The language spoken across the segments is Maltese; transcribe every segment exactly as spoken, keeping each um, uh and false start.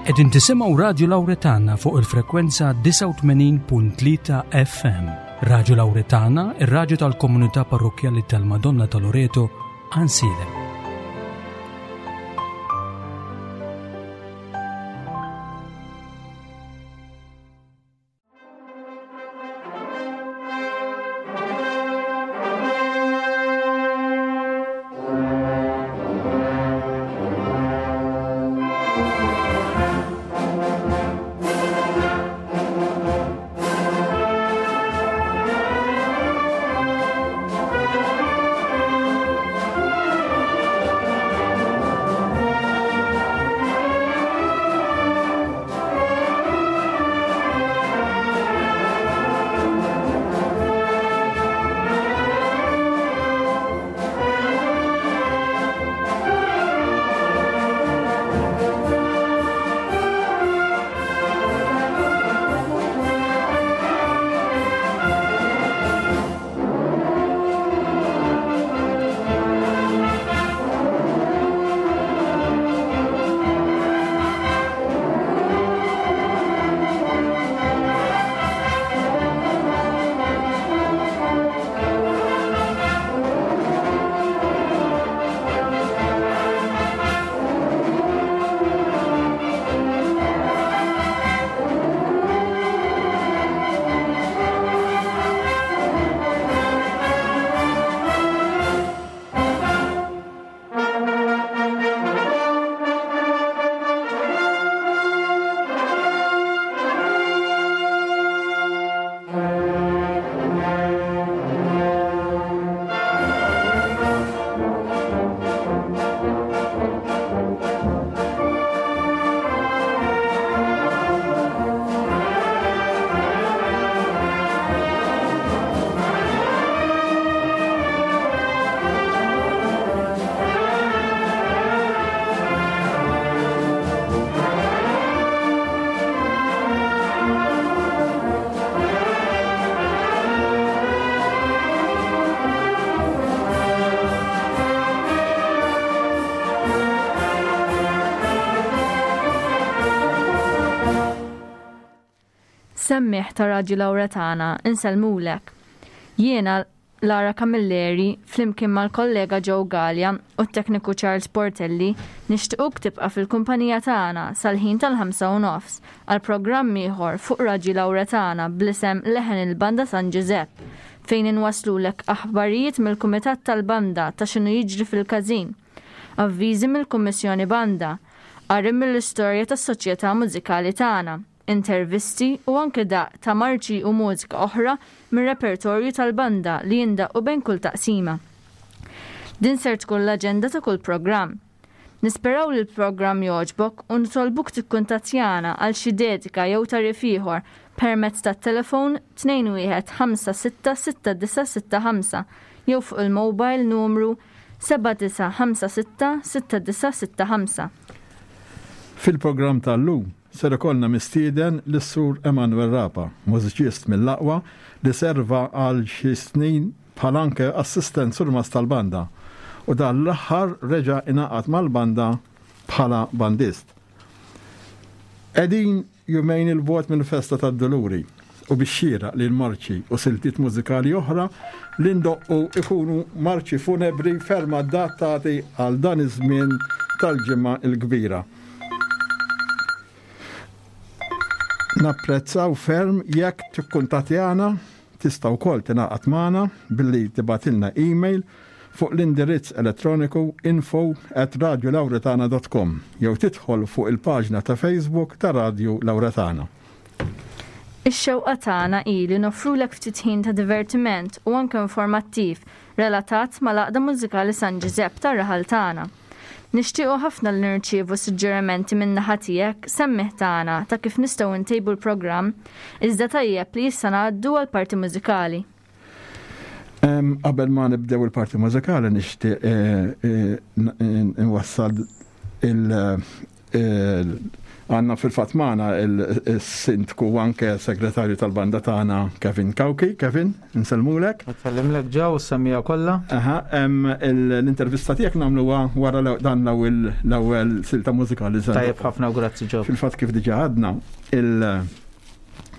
Qegħdin tisimgħu Radju Lawretana fuq il-frekwenza disgħa u tmenin punt tlieta F M. Radju Lawretana, ir-radju tal-Komunità Parrokkjali tal-Madonna ta' Loreto, Għajnsielem. Semmiegħa ta' Radju Lawretana, insellmulek. Jiena Lara Camilleri, flimkien mal-kollega Joe Gallia u t-tekniku Charles Portelli, nixtiequk tibqa' fil-kumpanija tagħna sal-ħin tal-ħamsa u nofs għal programm ieħor fuq Radju Lawretana bl-isem Leħen il-Banda San Giuseppe, fejn inwaslulek aħbarijiet mill-Kumitat tal-Banda ta' x'inhu jiġri fil-każin, avviżi mill-Kummissjoni Banda, qari mill-istorja tas-soċjetà mużikali tagħna, intervisti u anke daqq ta' marċi u mużika oħra mir-repertorju tal-banda li jindaqqu bejn kull taqsima. Din ser tkun l-aġenda ta' kull programm. Nisperaw li l-programm jogħġbok u nitolbuk tikkuntattjana għal xi dedika jew tagħrif ieħor permezz tat-telefon tnejn wieħed ħamsa sitta sitta disgħa sitta ħamsa jew fuq il-mobile numru seba' disgħa ħamsa sitta sitta disgħa sitta ħamsa. Fil-programm tal-lum ser ikollna mistieden lis-Sur Emanuel Rapa, mużiċist mill-aqwa li serva għal xi snin bħal anke assistent surmast tal-banda u dan l-aħħar reġa' ingħaqad mal-banda bħala bandist. Qegħdin jumejn 'il bogħod mill-festa tad-Duluri u bix-xieraq li l-marċi u siltiet mużikali oħra li ndoqqu ikunu marċi funebri ferm adattati għal dan iż-żmien tal-Ġimgħa il-Kbira. Napprezzaw ferm jekk tikkuntattjana, tista' wkoll tingħaqad magħna billi tibgħatilna email fuq l-indirizz elettroniku info at radiolauretana dot com jew tidħol fuq il-paġna ta' Facebook ta' Radio Lauretana. Ix-xewqa tagħna hi li noffrulek ftit ħin ta' divertiment u anke informattiv relatat mal-Għaqda Mużikali San Giuseppe tar-raħal tagħna. Nixtiequ ħafna li nirċievu suġġerimenti minn naħa tiegħek, semmiegħa tagħna, ta' kif nistgħu ntejbu l-programm, iżda tajjeb li issa ngħaddu għal parti mużikali. Qabel ma nibdew il-parti mużikali, nixtieq eh, eh, nwassal Għandna fil-fatt magħna il-sindku u anke segretarju tal-banda tagħna Kevin Cauchi. Kevin, nsellmulek. Nsellimlek Joe, s-semmiegħa kollha. Aha, l-intervista tiegħek nagħmluha wara dan l-ewwel silta mużikali. Tajjeb ħafna u grazzi Joe. Fil-fatt kif diġà għadna,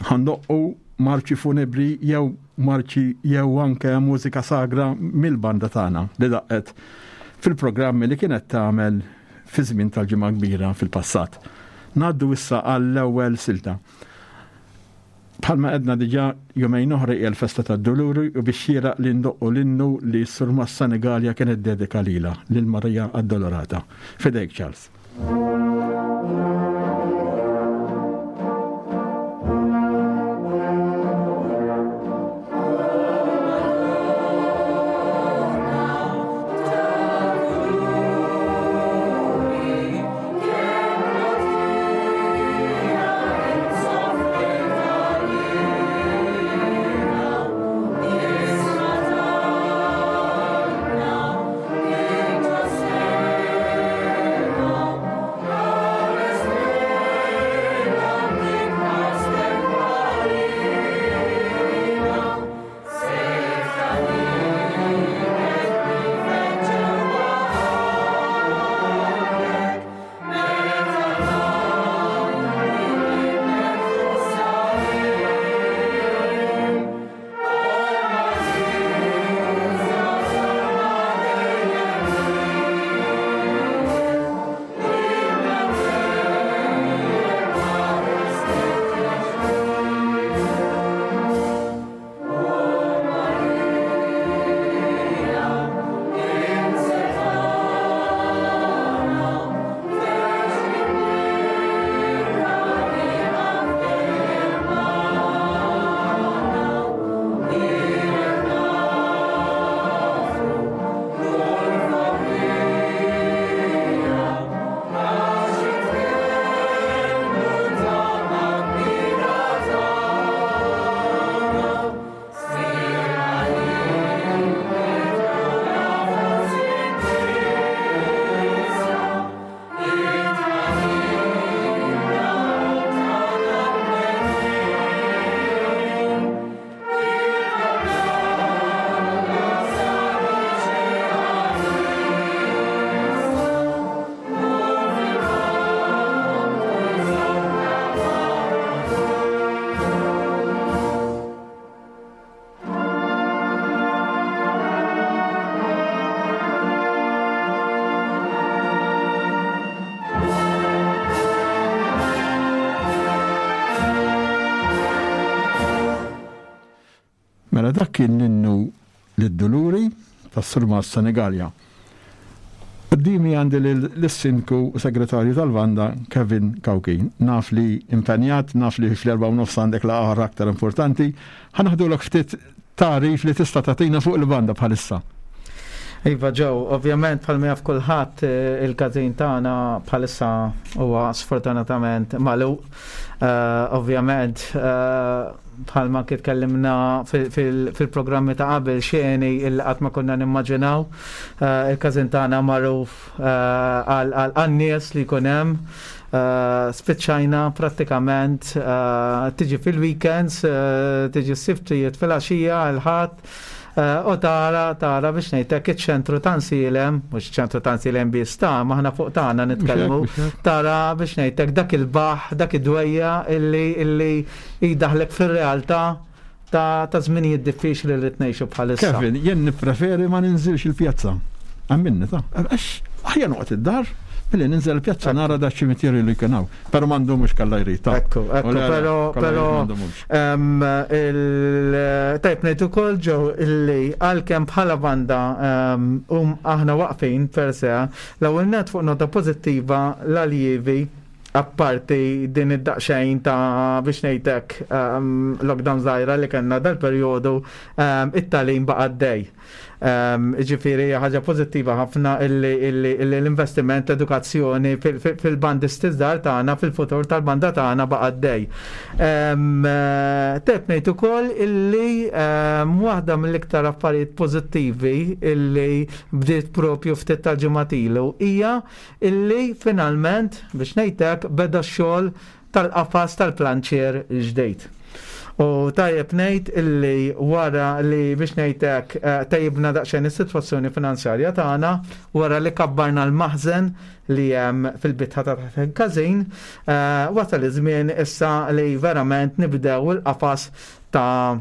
ħa ndoqqu marċi funebri jew marċi jew anke mużika sagra mill-banda tagħna li daqqet fil-programmi li kienet tagħmel fi żmien tal-Ġimgħa Kbira fil-passat. Ngħaddu issa għall-ewwel silta. Bħalma għedna diġà jumejn oħra hija l-festa tad-Duluri u biex xieraq li ndoqqu l-innu li s-Surmast Senegalja kienet dedika lilha, lil Marija Addolorata. Fidejk Charles. Mela dak kien l-innu lid-Duluri tas-Surmast Senegalja. Quddiemi għandi l-sindku u segretarju tal-banda Kevin Cauchi. Naf li impenjat, naf li fl-erba' u nofs għandek laqgħa aktar importanti. Ħa naħdulok ftit tarif li tista' tagħtina fuq il-banda bħalissa. Iva Joe, ovvjament bħalma jaf kulħadd il-każin tagħna bħalissa huwa sfortunatament magħluq. Ovvjament bħalma kif tkellimna fil-programmi ta' qabel xeni il qatt ma konna nimmaġinaw. Il-każin tagħna magħruf għal nies li jkun hemm. Spiċċajna prattikament tiġi fil-weekends, tiġi s-siftijiet fil-għaxija, l-Ħadd. U tara, tara biex ngħidlek iċ-ċentru ta' Għajnsielem, mhux ċentru ta' Għajnsielem biss ta' maħna fuq tagħna nitkellmu, tara biex ngħidlek dak il-baħ, dak id-dwejja illi illi jdaħlek fir-realtà ta' ta' żminijiet diffiċli li tnejxu bħalissa. Kevin, jien nippreferi ma ninżilx il-pjazza. Għamminni ta' għax aħjar noqgħod id-dar milli ninżel il-pjazza nara da ċimiterju li kien hawn. Però m'għandhomx kalla jrid. Ekku, ekku, però però tajb ngħid ukoll Joe illi għalkemm bħala banda um aħna waqfin per se, l-ewwel net fuq nota pożittiva l-aljievi apparti din id-daqxejn ta' biex ngħidlek lockdown żgħira li kellna dal-perjodu, it-tagħlim baqa' għaddej. Ġifieri ħaġa pożittiva ħafna illi l-investiment, l-edukazzjoni fil-bandisti żgħar tagħna, fil-futur tal-banda tagħna baqa' għaddej. Teb ngħid ukoll illi waħda mill-iktar affarijiet pożittivi illi bdiet propju ftit tal-ġimgħat ilu hija illi finalment, biex ngħidlek, beda x-xogħol tal-qafas tal-planċier ġdejt. U tajjeb ngħid illi wara li, biex ngħidlek, tejjibna daqsxejn is-sitwazzjoni finanzjarja tagħna, wara li kabbarna l-maħżen li hemm fil-bitħa ta' taħt il-każin, wasal iż-żmien issa li verament nibdew il-qafas ta'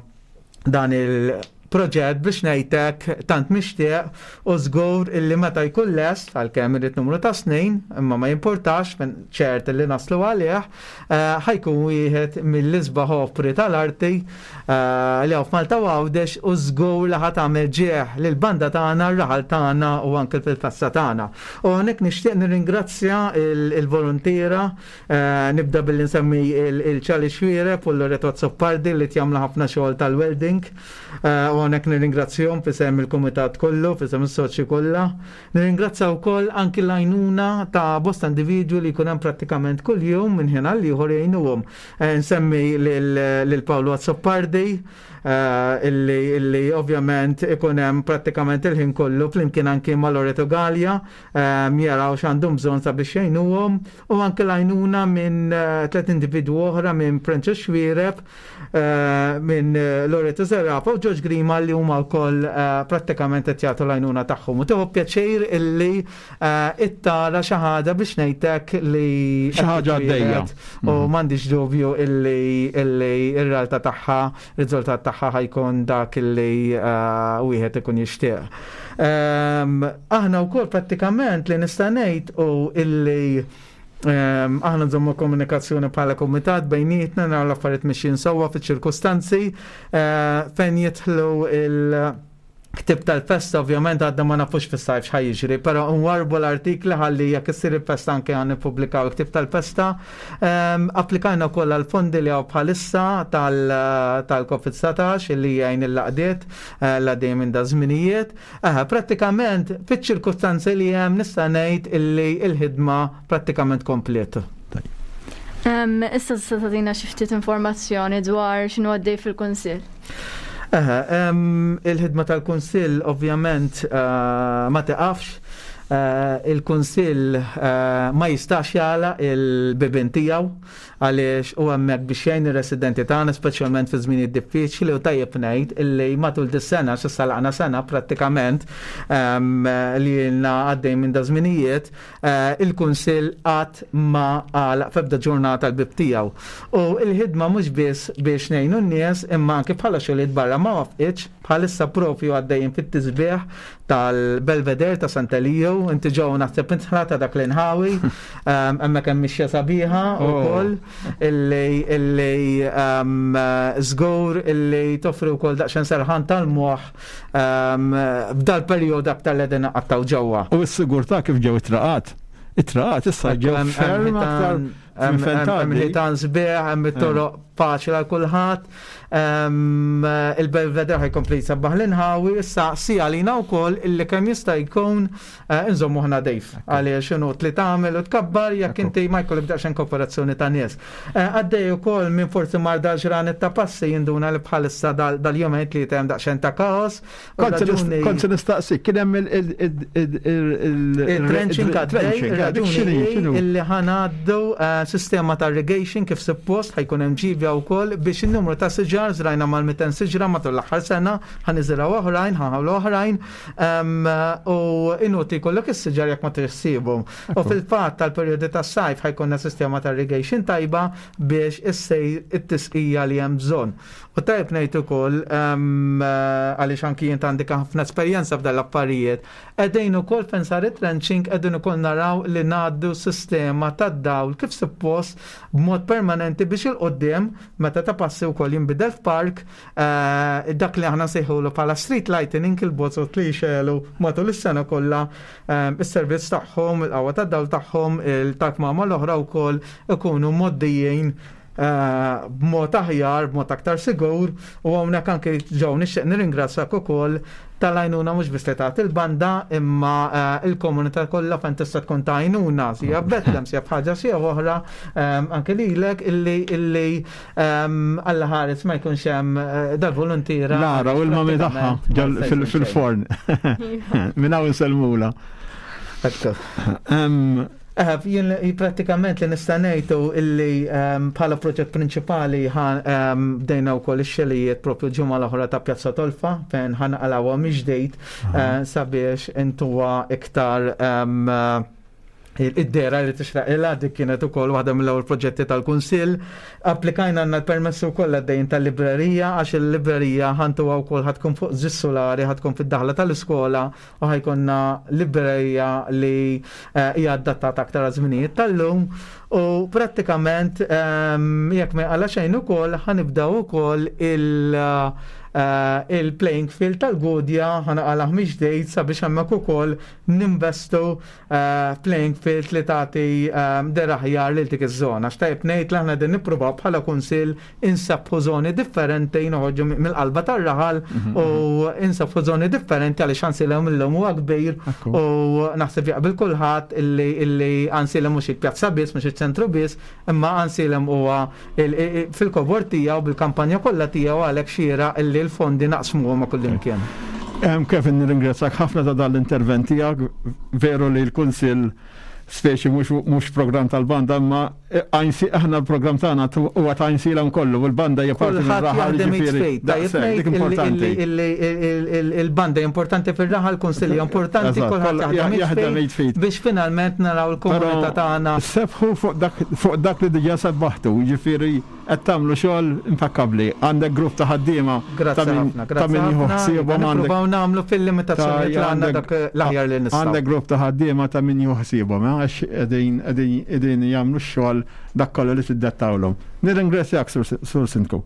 dan il-proġett, biex ngħidlek, tant mixtieq, u żgur illi meta jkun lest, għalkemm irid numru ta' snin, imma ma jimpurtax, ċert illi naslu għalih, ħa jkun wieħed mill-isbaħ opri tal-arti li hawn f'Malta u Għawdex, u żgur li ħa tagħmel ġieħ lill-banda tagħna, r-raħal tagħna u anke fil-festa tagħna. U hawnhekk nixtieq nirringrazzja il-volontiera, nibda billi nsemmi il-Ċali Xwireb u l-Loreto Azzopardi li jagħmlu ħafna xogħol tal-welding. U hawnhekk nirringrazzjahom f'isem il-kumitat kollu, f'isem is-soċji kollha. Nirringrazzja wkoll anki l-għajnuna ta' bosta individwi li jkun hemm prattikament kuljum minn ħin għal ieħor jgħinuhom. Nsemmi lil Paolo Azzopardi, illi illi ovvjament ikun hemm prattikament il-ħin kollu flimkien anki ma' Loreto Gallia, jaraw x'għandhom bżonn sabiex jgħinuhom, u anke l-għajnuna minn tliet individwu oħra, minn Princess Xwireb, minn Loreto Zerafa u George Grima, li huma wkoll prattikament qed jagħtu l-għajnuna tagħhom. U tieħu pjaċir illi ittara xi ħaġa, biex ngħidlek, li xi ħaġa għaddejja. U m'għandix dubju illi illi ir-realtà tagħha, riżultat tagħha ħa jkun dak illi wieħed ikun jixtieq. Aħna wkoll prattikament li nista' ngħid u illi aħna nżommu komunikazzjoni bħala komitat bejnietna, naraw l-affarijiet mixjin sewwa fiċ-ċirkustanzi fejn jidħlu il- Ktib tal-festa. Ovvjament għadna ma nafux fis-sajf x'ħa jiġri, però nwarbu l-artikli ħalli jekk issir il-festa anke għan nippubblikaw il-ktib tal-festa. Applikajna wkoll għal-fondi li hawn bħalissa tal-Covid satax li jgħin il-għaqdiet l-għaddej minn da żminijiet. Prattikament fiċ-ċirkustanzi li hemm nista' ngħid illi il-ħidma prattikament komplet. Issa tista' tagħtina xi ftit informazzjoni dwar x'inhu għaddej fil-Kunsill. Il-ħidma tal-Kunsill ovvjament ma tiqafx. Il-Kunsill ma jistax jagħlaq il-bibien tiegħu għaliex u hemmhekk biex jgħin ir-residenti tagħna, speċjalment fi żminijiet diffiċli, u tajjeb ngħid illi matul dis-sena, s'issa laqna sena prattikament li ilna għaddej minn da żminijiet, il-Kunsill qatt ma għalaq f'ebda ġurnata l-bib tiegħu. U il-ħidma mhux biss biex ngħinu n-nies, imma anke bħala xogħlijiet barra ma waqfitx. Bħalissa propju għaddejjin fit-tisbieħ tal-Belvedere ta' Sant'Elio, inti ġew naħseb intħla ta' dak l-inħawi, hemmhekk hemm mixja sabiħa ukoll illi illi żgur illi toffri wkoll daqsxejn serħan tal-moħħ f'dal-perjodu aktar li qegħdin nqattgħu ġewwa. U s-sigurtà, kif ġew it-traqat? It-traqat issa ġew ferm aktar Hemm ħitan sbieħ, hemm it-toroq faċli għal kulħadd. Il-Belvedere ħa jkompli jsabbaħ l-inħawi, issa si għalina wkoll illi kemm jista' jkun inżommu ħna dejf. Għaliex inutli tagħmel u tkabbar jekk inti ma jkollok daqsxejn kooperazzjoni ta' nies. Għaddej ukoll, minn forsi mar dal-ġranet ta' passi jinduna li bħalissa dal-jumejn li hemm daqsxejn ta' kaos. Kont se nistaqsik, kien hemm il-trenching għaddej, raġuni illi ħa ngħaddu sistema ta' irrigation kif suppost, ħa jkun hemm ġibja wkoll biex in-numru ta' siġar, żrajna mal-mitejn siġra matul l-aħħar sena, ħa niżirgħu oħrajn, ħa nħawlu oħrajn, u inutli jkollok is-siġar jekk ma tirsibhom. U fil-fatt tal-perjodi tas-sajf ħa jkollna sistema ta' irrigation tajba biex issejr it-tisqija li hemm bżonn. U tajb ngħid ukoll, għaliex anki jien għandi ħafna esperjenza f'dan l-affarijiet, qegħdin ukoll fejn sar it-trenching qegħdin ukoll naraw li ngħaddu sistema tad-dawl kif suppost b'mod permanenti biex il-qoddim meta ta' passi wkoll jinbidel f'park, dak li aħna nsejħulu bħala street lighting, il-bozoz li jxegħlu matul is-sena kollha, is-servizz tagħhom, il-qawwa tad-dawl tagħhom, il-takmama l-oħra wkoll ikunu moddijin eh, b'mod aħjar, b'mod aktar sigur, u hawnhekk anke ġew nixtieq nirringrazzjak ukoll tal-għajnuna mhux biss li tagħti il-banda imma eh, il-komunità kollha fejn tista' tkun ta' għajnuna sija b'Betlem, sija b'ħaġa sija oħra, ehm, anke lilek illi illi ehm, Alla ħares ma jkunx hemm eh, dal-volontiera. Lara u l-mami tagħha prattikament ma ġol jista' fil- jkun xejn. fil-forn. Minn hawn insellmula. Ekku. Em, Eh, Jien li- prattikament li nista' ngħidu illi ehm, bħala proġett prinċipali ħa- ehm, bdejna wkoll ix-xogħlijiet propju ġimgħa l-oħra ta' Pjazza Tolfa fejn ħa naqalgħuha mill-ġdid eh, sabiex intuha iktar ehm, eh, id-dehra li tixraqilha. Dik kienet ukoll waħda mill-ewwel proġetti tal-Kunsill. Applikajna, għandna l-permessu wkoll għaddejn tal-librerija, għax il-librerija ħa ntuha wkoll ħa tkun fuq żewġ sulari, ħa tkun fid-daħla tal-iskola u ħa jkollna librerija li eh, hija adattata aktar għaż-żminijiet tal-lum, u prattikament ehm, jekk ma għala xejn ukoll ħa nibdew ukoll il- eh, il-playing field tal-Gudja, ħa naqalgħuh mill-ġdid sabiex hemmhekk ukoll ninvestu eh, playing field li tagħti ehm, dehra aħjar lil dik iż-żona. Xtajb ngħid li aħna din nippruvaw bħala kunsill insabbħu żoni differenti, noħorġu mill-qalba tar-raħal u insabbħu żoni differenti, għaliex Għajnsielem illum huwa kbir Ekku. u naħseb jaqbel kulħadd illi illi Għajnsielem mhux il-pjazza biss, mhux iċ-ċentru biss, imma Għajnsielem huwa il- il- fil-kobor tiegħu bil-kampanja kollha tiegħu, għalhekk xieraq illi l-fondi naqsmuhom ma' kullimkien. Em, Kevin, nirringrazzjak ħafna ta' dan l-intervent tiegħek. Veru li l-Kunsill speċi mhux mhux program tal-banda, imma Għajnsi aħna l-program tagħna tu- huwa ta' Għajnsielem kollu u l-banda hija parti Kulħadd mir-raħal, jaħdem ġifieri, id f'id. Tajjeb daqshekk, dik ngħid importanti. illi- illi- illi- il-banda importanti fir-raħal, kunsilli importanti, Eżatt, kulħadd kollha jaħdem jaħdem id id f'id. biex finalment naraw il-komunità tagħna. Sebħu fuq dak fuq dak li diġà sebbaħtu, ġifieri qed tagħmlu xogħol impakkabbli. Għandek grupp ta' ħaddiema Grazzi ta' min ħafna, ta' grazzi min jieħu ħafna. ħsiebhom għandek Nippruvaw nagħmlu fil-limitazzjonijiet li għandna għandek- dak l-aħjar li nistgħu. Għandek grupp ta' ħaddiema ta' min jieħu ħsiebhom, eh, għax qegħdin qegħdin qegħdin jagħmlu x-xogħol dak kollu li tiddettawlhom. Nirringrazzjak, Sur Sur Sindku.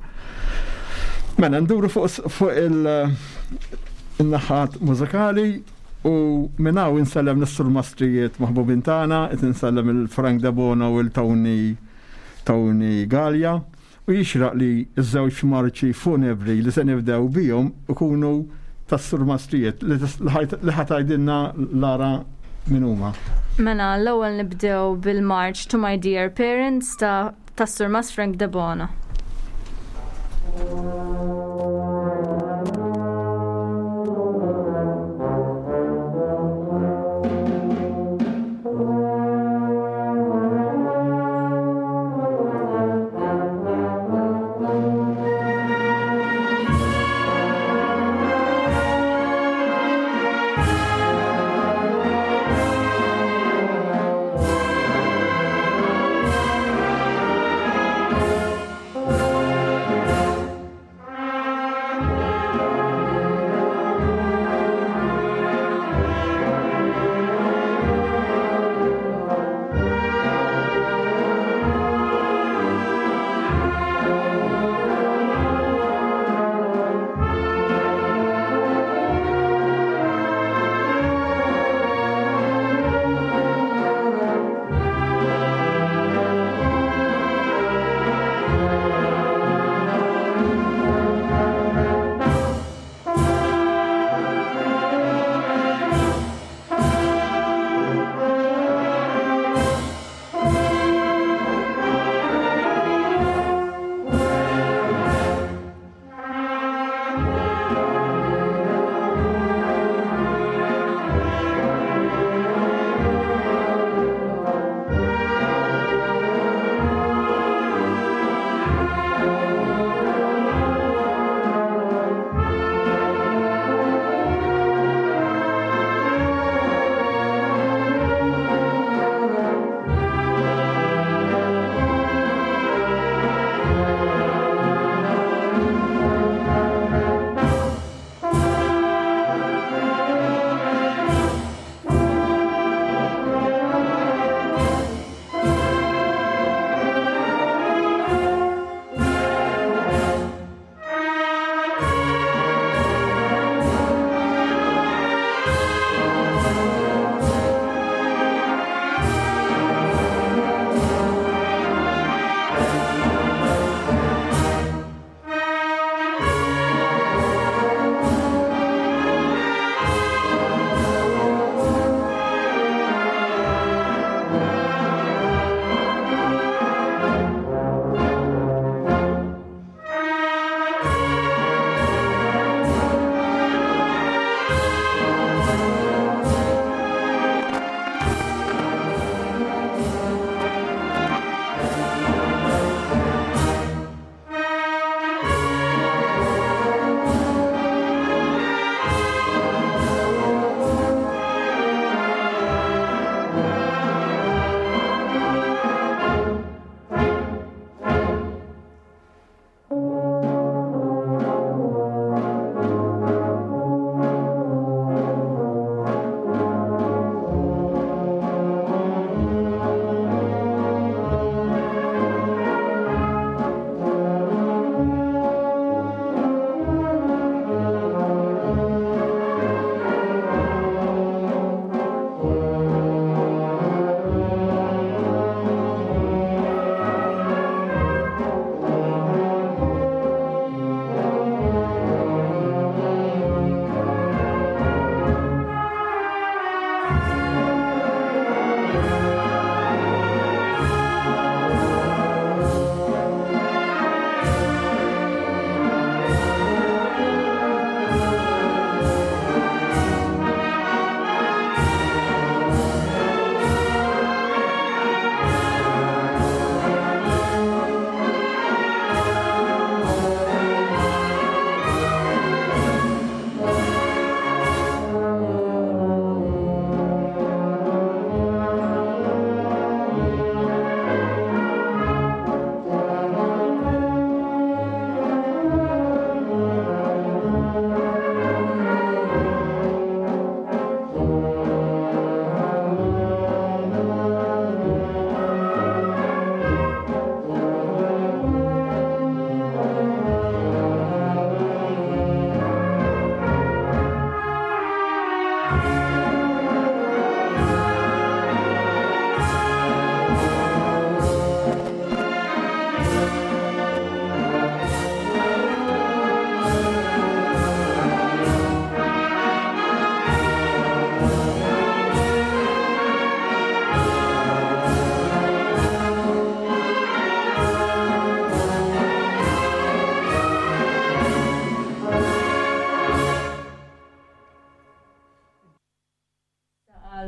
Mela nduru fuq fuq il- il-naħat mużikali u minn hawn insellem lis-surmastrijiet maħbubin tagħna, qed insellem il-Frank Debono u l-Tony Tony Gallia, u jixraq li ż-żewġ marċi funebri li se nibdew bihom ikunu tas-surmastrijiet li tis- li ħajt- li ħa tgħidilna Lara min huma. Mela, l-ewwel nibdew bil-March "To My Dear Parents" ta' tas-Surmas Frank Debono.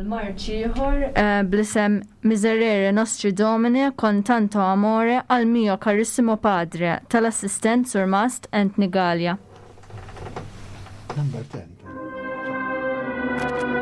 Marċ ieħor eh, bl-isem Miserere Nostri Domine con tanto amore al mio carissimo padre tal-assistent Surmast Anthony Gallia. Number ten. Thank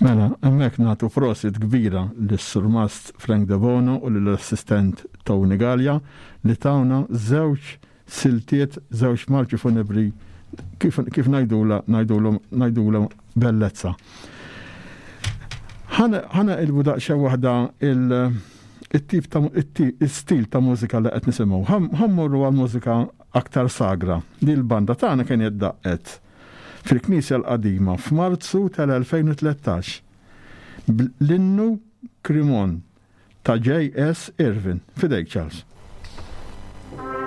Mela, hemmhekk nagħtu prosit kbira lis-Surmast Frank Debono u lill-assistent Tony Gallia li tawna żewġ siltiet, żewġ marċi funebri kif, kif ngħidula ngħidulhom ngħidulhom bellezza. Ħana ilbu daqsxejn waħda il- it-tip ta' il-stil ta' mużika li qed nisimgħu. Ħa mmorru għal mużika aktar sagra. Li l-banda tagħna kienet daqqet fil-Knisja l-Qadima f'Marzu tal-elfejn u tlettax l-innu Crimon ta' J S Irvin. Fidejk, Charles. Thank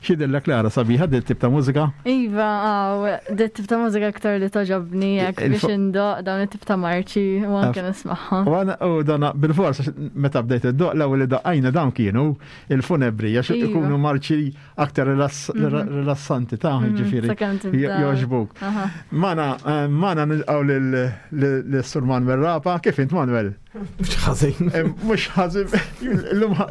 X'jidhirlek Lara sabiħa dit tip ta' mużika? Iva, għaw, dit tip ta' mużika aktar li togħġobni jekk biex indoqq dawn it-tip ta' marċi u anke nismagħha. U għana, u dana bil-fors meta bdejt iddoqq l-ewwel li daqqajna dawn kienu il-funebri għax Iva. ikunu marċi aktar rilass- rilassanti ta' Mhm, ġifieri sakemm tibda. jogħġbuk. Aha. Mana, eh, mana nilqgħu lil-Sur Manuel Rapa, kif int Manuel? Mhux ħażin. Eh, Mhux ħażin,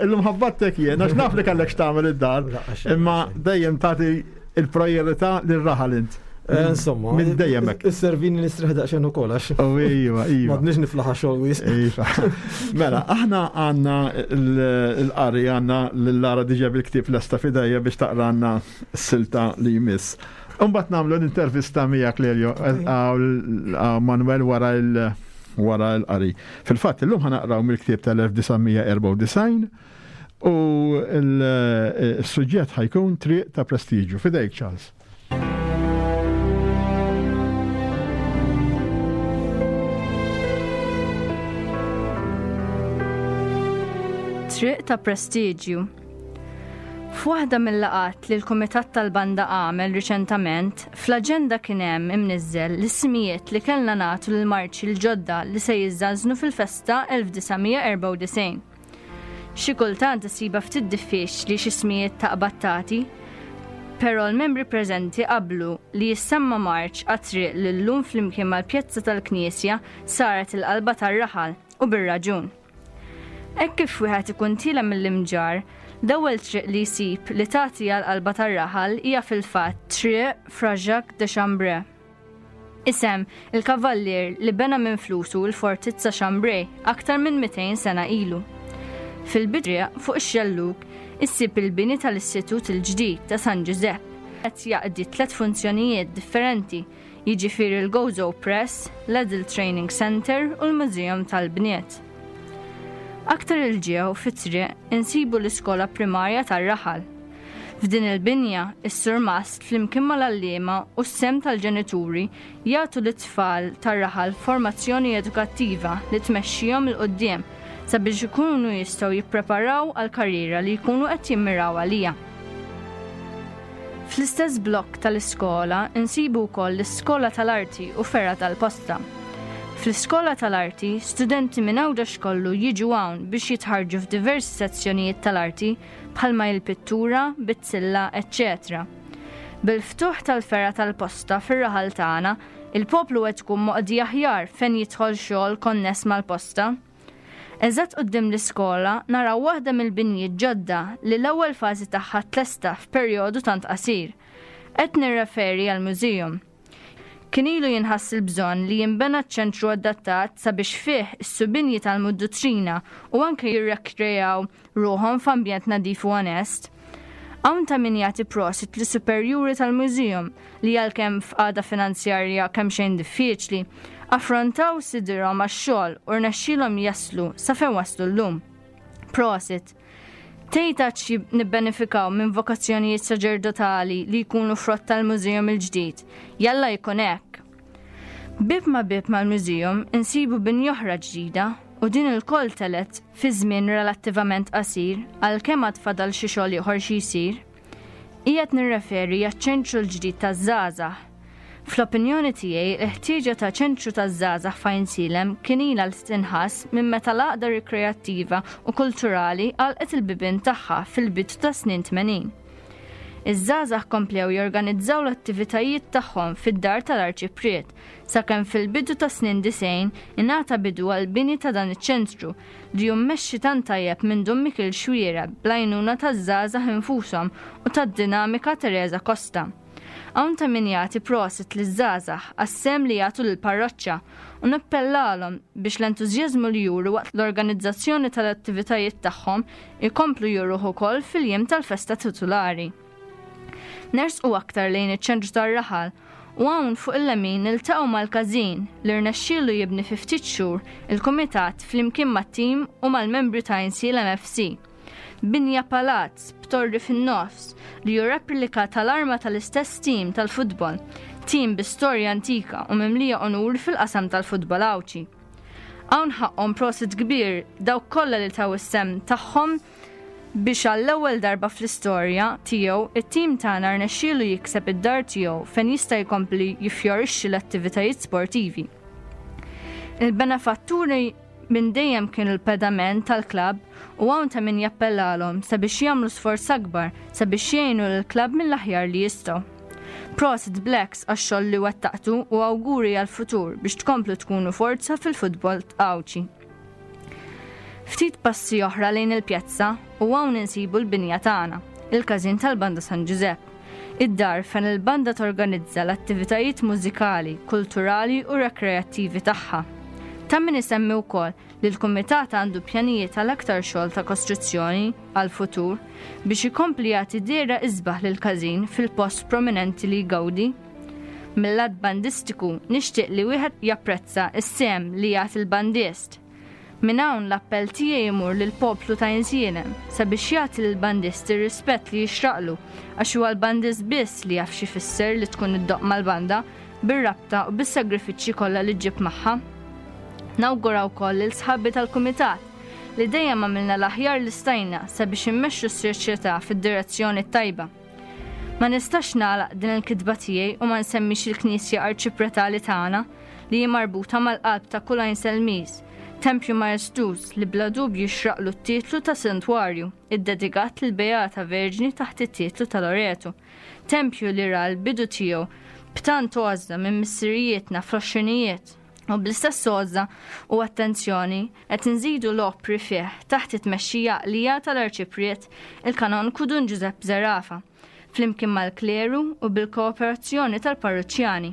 illum ħabbattek jien, għax naf li kellek x'tagħmel id-dar, La, għax- imma dejjem tagħti il-priorità lir-raħal int. Eh, Insomma, Minn dejjem hekk. Is-servini nistrieħ daqsxejn ukoll għax. Oh, iva, iva. M'għadniex niflaħ xogħol wisq. Iva. Mela, aħna għandna l-qari għandna l-Lara diġà bil-ktieb lesta f'idejja biex taqranna s-silta li jmiss. Imbagħad nagħmlu l-intervista miegħek Lelio għaw Manuel wara il- wara l-qari. Fil-fatt illum ħa naqraw mill-ktieb tal-elf disa' mija erbgħa u disgħin u il-suġġett ħa jkun Triq ta' Prestiġju. F'idejk, Charles. Triq ta' Prestiġju. F'waħda mill-laqgħat li l-Kumitat tal-Banda għamel riċentament, fl-aġenda kien hemm imniżżel l-ismijiet li kellna nagħtu lill-marċi l-ġodda li se jiżżażnu fil-festa elf disa' mija erbgħa u disgħin. Xi kultant isiba ftit diffiċli xi ismijiet taqbad tagħti, però l-membri preżenti qablu li jissemma marċ għat-triq li llum flimkien mal-pjazza tal-Knisja saret il-qalba tar-raħal u bir-raġun. Hekk kif wieħed ikun tiela' mill-Imġarr, l-ewwel triq li jsib li tagħti għal qalba tar-raħal hija fil-fatt Triq Fra Jacques de Chambray. Isem il-kavallier li bena minn flusu l-fortizza Chambray aktar minn mitejn sena ilu. Fil-bidriq fuq ix-xellug issib il-bini tal-Istitut il-ġdid ta' San Giuseppe qed jaqdi tliet funzjonijiet differenti, jiġifieri l-Gozo Press, l-Adult Training Center u l-Museum tal-Bniet. Aktar 'il ġew fit-triq insibu l-iskola primarja tar-raħal. F'din il-binja, is-surmast flimkien mal-għalliema u s-sehem tal-ġenituri jagħtu lit-tfal tar-raħal formazzjoni edukattiva li tmexxihom 'il quddiem sabiex ikunu jistgħu jippreparaw għal karriera li jkunu qed jimmiraw għalija. Fl-istess blokk tal-iskola insibu wkoll l-iskola tal-arti u fergħa tal-posta. Fl-iskola tal-arti, studenti minn Għawdex kollu jiġu hawn biex jitħarġu f'diversi sezzjonijiet tal-arti bħalma il-pittura, bizzilla, eċċetera. Bil-ftuħ tal-fergħa tal-posta fir-raħal tagħna, il-poplu qed tkun moqdi aħjar fejn jidħol xogħol konness mal-posta. Eżatt quddiem l-iskola naraw waħda mill-binjiet ġodda li l-ewwel fażi tagħha tlesta f'perjodu tant qasir. Qed nirreferi għal museum. Kien ilu jinħass il-bżonn li jinbena ċentru adattat sabiex fih is-subien jitgħallmu d-duttrina u anke jirrekrejaw ruħhom f'ambjent nadif u onest. Hawn ta' min jagħti prosit lis-superjuri tal-museum li għalkemm f'qagħda finanzjarja kemm xejn diffiċli, affrontaw sidirhom għax-xogħol u rnexxielhom jaslu sa fejn waslu llum. Prosit. Tgħid xi nibbenefikaw minn vokazzjonijiet saċerdotali li jkunu frott tal-museum il-ġdid. Jalla jkun hekk. Bib ma bib mal-museum insibu binja oħra ġdida u din ilkoll telgħet fi żmien relattivament qasir għalkemm għad fadal xi xogħol ieħor xi jsir. Qiegħed nirreferi għaċ-ċentru l-ġdid taż-żgħażagħ. Fl-opinjoni tiegħi l-ħtieġa ta' ċentru taż-żgħażagħ f'Għajnsielem kien ilha li tinħass minn meta l-għaqda rikreattiva u kulturali għalqet il-bibien tagħha fil-bidu ta' snin tmenin. Iż-żgħażagħ komplew jorganizzaw l-attivitajiet tagħhom fid-dar tal-Arċipriet sakemm fil-bidu ta' snin disgħin ingħata bidu għal bini ta' dan iċ-ċentru li mmexxi tant tajjeb minn Dun Mikil Xwiera bl-għajnuna taż-żgħażagħ infushom u tad-dinamika Teresa Costa. Hawn ta' min jagħti prosit liż-żgħażagħ għas-sehem li jagħtu lill-parroċċa u nappellalhom biex l-entużjażmu li juru waqt l-organizzazzjoni tal-attivitajiet tagħhom ikomplu juruh ukoll fil-jiem tal-festa titulari. Nersqu aktar lejn iċ-ċentru tar-raħal u hawn fuq il-lemin niltaqgħu mal-każin li rnexxielu jibni fi ftit xhur il-kumitat flimkien mat-tim u mal-membri ta' Għajnsielem F C. Binja palazz b'torri fin-nofs li hu replika tal-arma tal-istess tim tal-futbol, tim bi storja antika u mimlija onur fil-qasam tal-futbol Għawdxi. Hawn ħaqqhom prosit kbir dawk kollha li taw is-sehem tagħhom Biex għall-ewwel darba fl-istorja tiegħu it-tim tagħna rnexxielu jikseb id-dar tiegħu fejn jista' jkompli jiffjorixxi l-attivitajiet sportivi. Il-benefatturi minn dejjem kienu l-pedament tal-klabb u hawn ta' min jappellalhom sabiex jagħmlu sforz akbar sabiex jgħinu lill-klabb mill-aħjar li jistgħu. Prosit Blacks għax-xogħol li wettaqtu u awguri għall-futur biex tkomplu tkunu forza fil-futbol Għawdxi. Ftit passi oħra lejn il-pjazza u hawn insibu l-binja tagħna, il-każin tal-Banda San Ġużepp. Id-dar fejn il-banda torganizza l-attivitajiet mużikali, kulturali u rekreattivi tagħha. Ta' min isemmi wkoll li l-kumitat għandu pjanijiet għal aktar xogħol ta' kostruzzjoni għal futur biex ikompli jagħti dehra isbaħ lil każin fil-post prominenti li jgawdi. Mill-lat bandistiku nixtieq li wieħed japprezza s-sehem li jagħti l-bandist. Minn hawn l-appell tiegħi jmur lill-poplu ta' Għajnsielem sabiex jagħti lill-bandist ir-rispett li jixraqlu għax huwa l-bandist biss li jaf x'ifisser li tkun iddoqq mal-banda bir-rabta u bis-sagrifiċċji kollha li ġġib magħha. Nawgura wkoll lil sħabi tal-kumitat li dejjem għamilna l-aħjar li stajna sabiex immexxu s-soċjetà fid-direzzjoni t-tajba. Ma nistax nagħlaq din il-kitba tiegħi u ma nsemmix il-Knisja Arċipretali tagħna li hi marbuta mal-qalb ta' kull Għajnselmiż, tempju maestuż li bla dubju jixraqlu t-titlu ta' santwarju, iddedikat lil Beata Verġni taħt it-titlu ta' Loreto, tempju li ra l-bidu tiegħu b'tant għożża minn missirijietna fl-għoxrinijiet. U bl-istess għożża u attenzjoni qed inżidu l-opri fih taħt it-tmexxija għaqlija tal-Arċipriet il-Kanonku Dun Giuseppe Zerafa, flimkien mal-kleru u bil-kooperazzjoni tal-parruċċjani.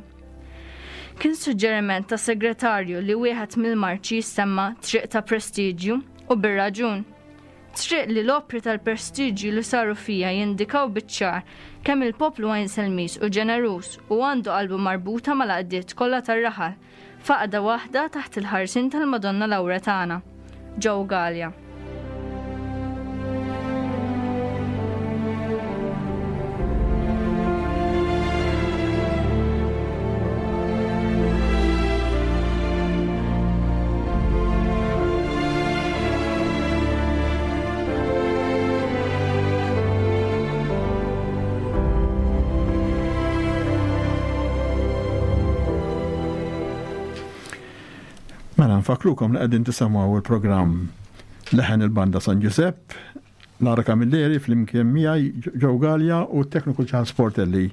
Kien suġġeriment ta' segretarju li wieħed mill-marċi jissemma Triq ta' Prestiġju u bir-raġun. Triq li l-opri tal-prestiġju li saru fija jindikaw biċ-ċar kemm il-poplu Għajnselmiż u ġeneruż u għandu qalbu marbuta mal-għaqdiet kollha tar-raħal, f'għaqda waħda taħt il-ħarsien tal-Madonna Lawretana. Joe Galea. Mela nfakrukom li qegħdin tisimgħu il-programm Leħen il-Banda San Giuseppe, Lara Camilleri flimkien miegħi Joe Galea u t-tekniku Charles Portelli.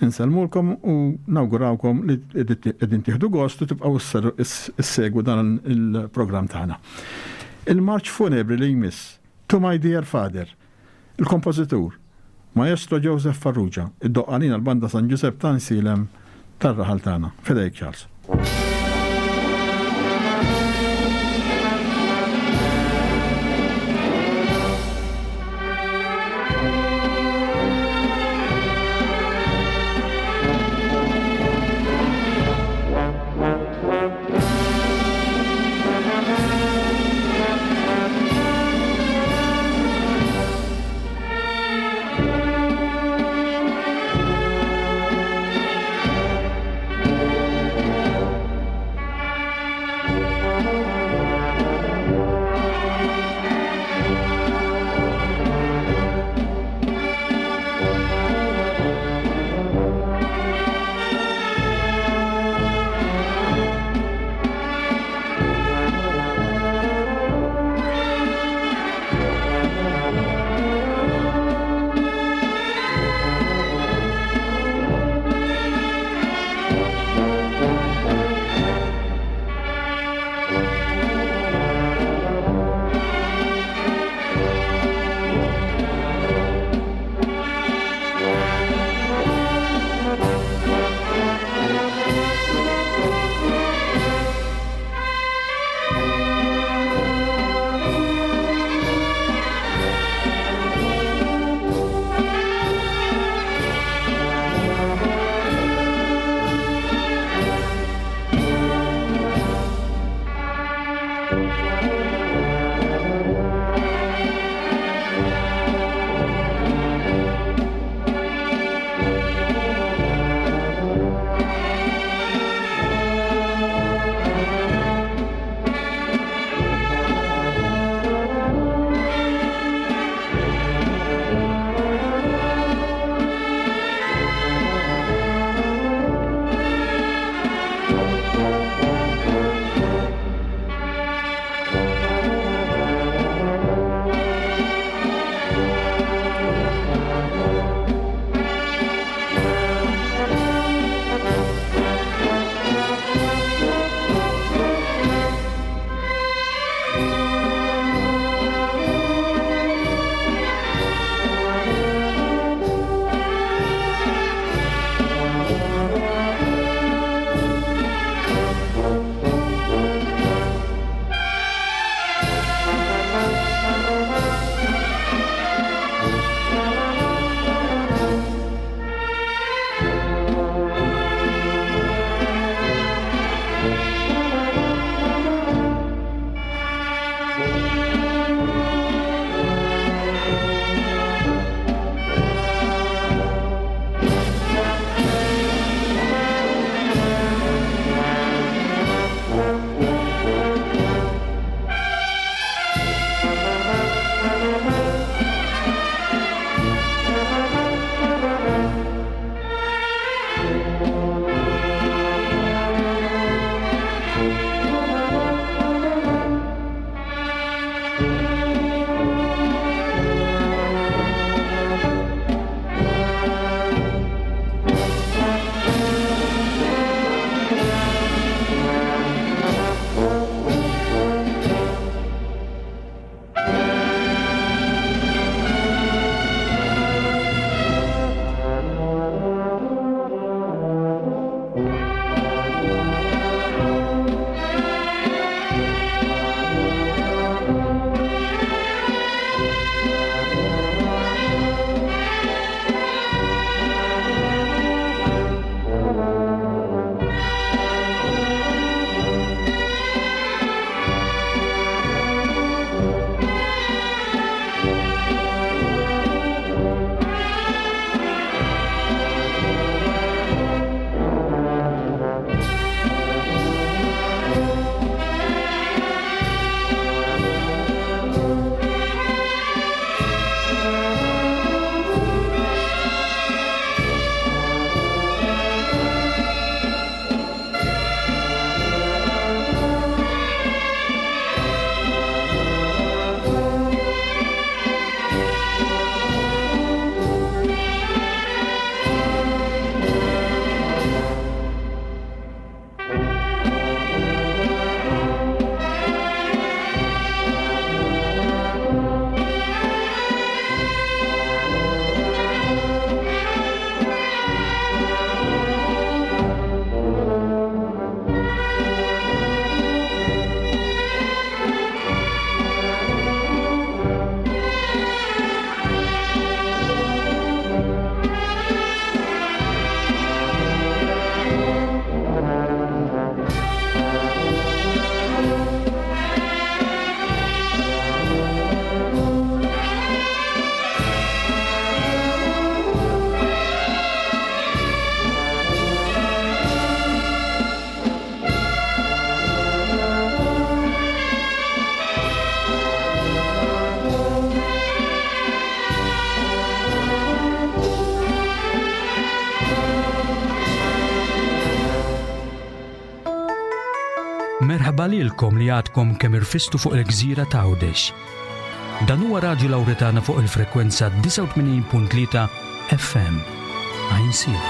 Insellmulkom u nawgurawkom li qegħdin tieħdu gost u tibqgħu issegwu dan il-programm tagħna. Il-marċ funebri li jmiss To My Dear Father, il-kompożitur Maestro Joseph Farrugia, iddoqq għalina l-Banda San Giuseppe ta' Għajnsielem tar-raħal tagħna. Fidejk Charles. Thank Merħba lilkom li għadkom kemm irfistu fuq il-gżira ta' Għawdex. Dan huwa Radju Lawretana fuq il-frekwenza disgħa u tmenin punt tlieta F M. Għajnsielem.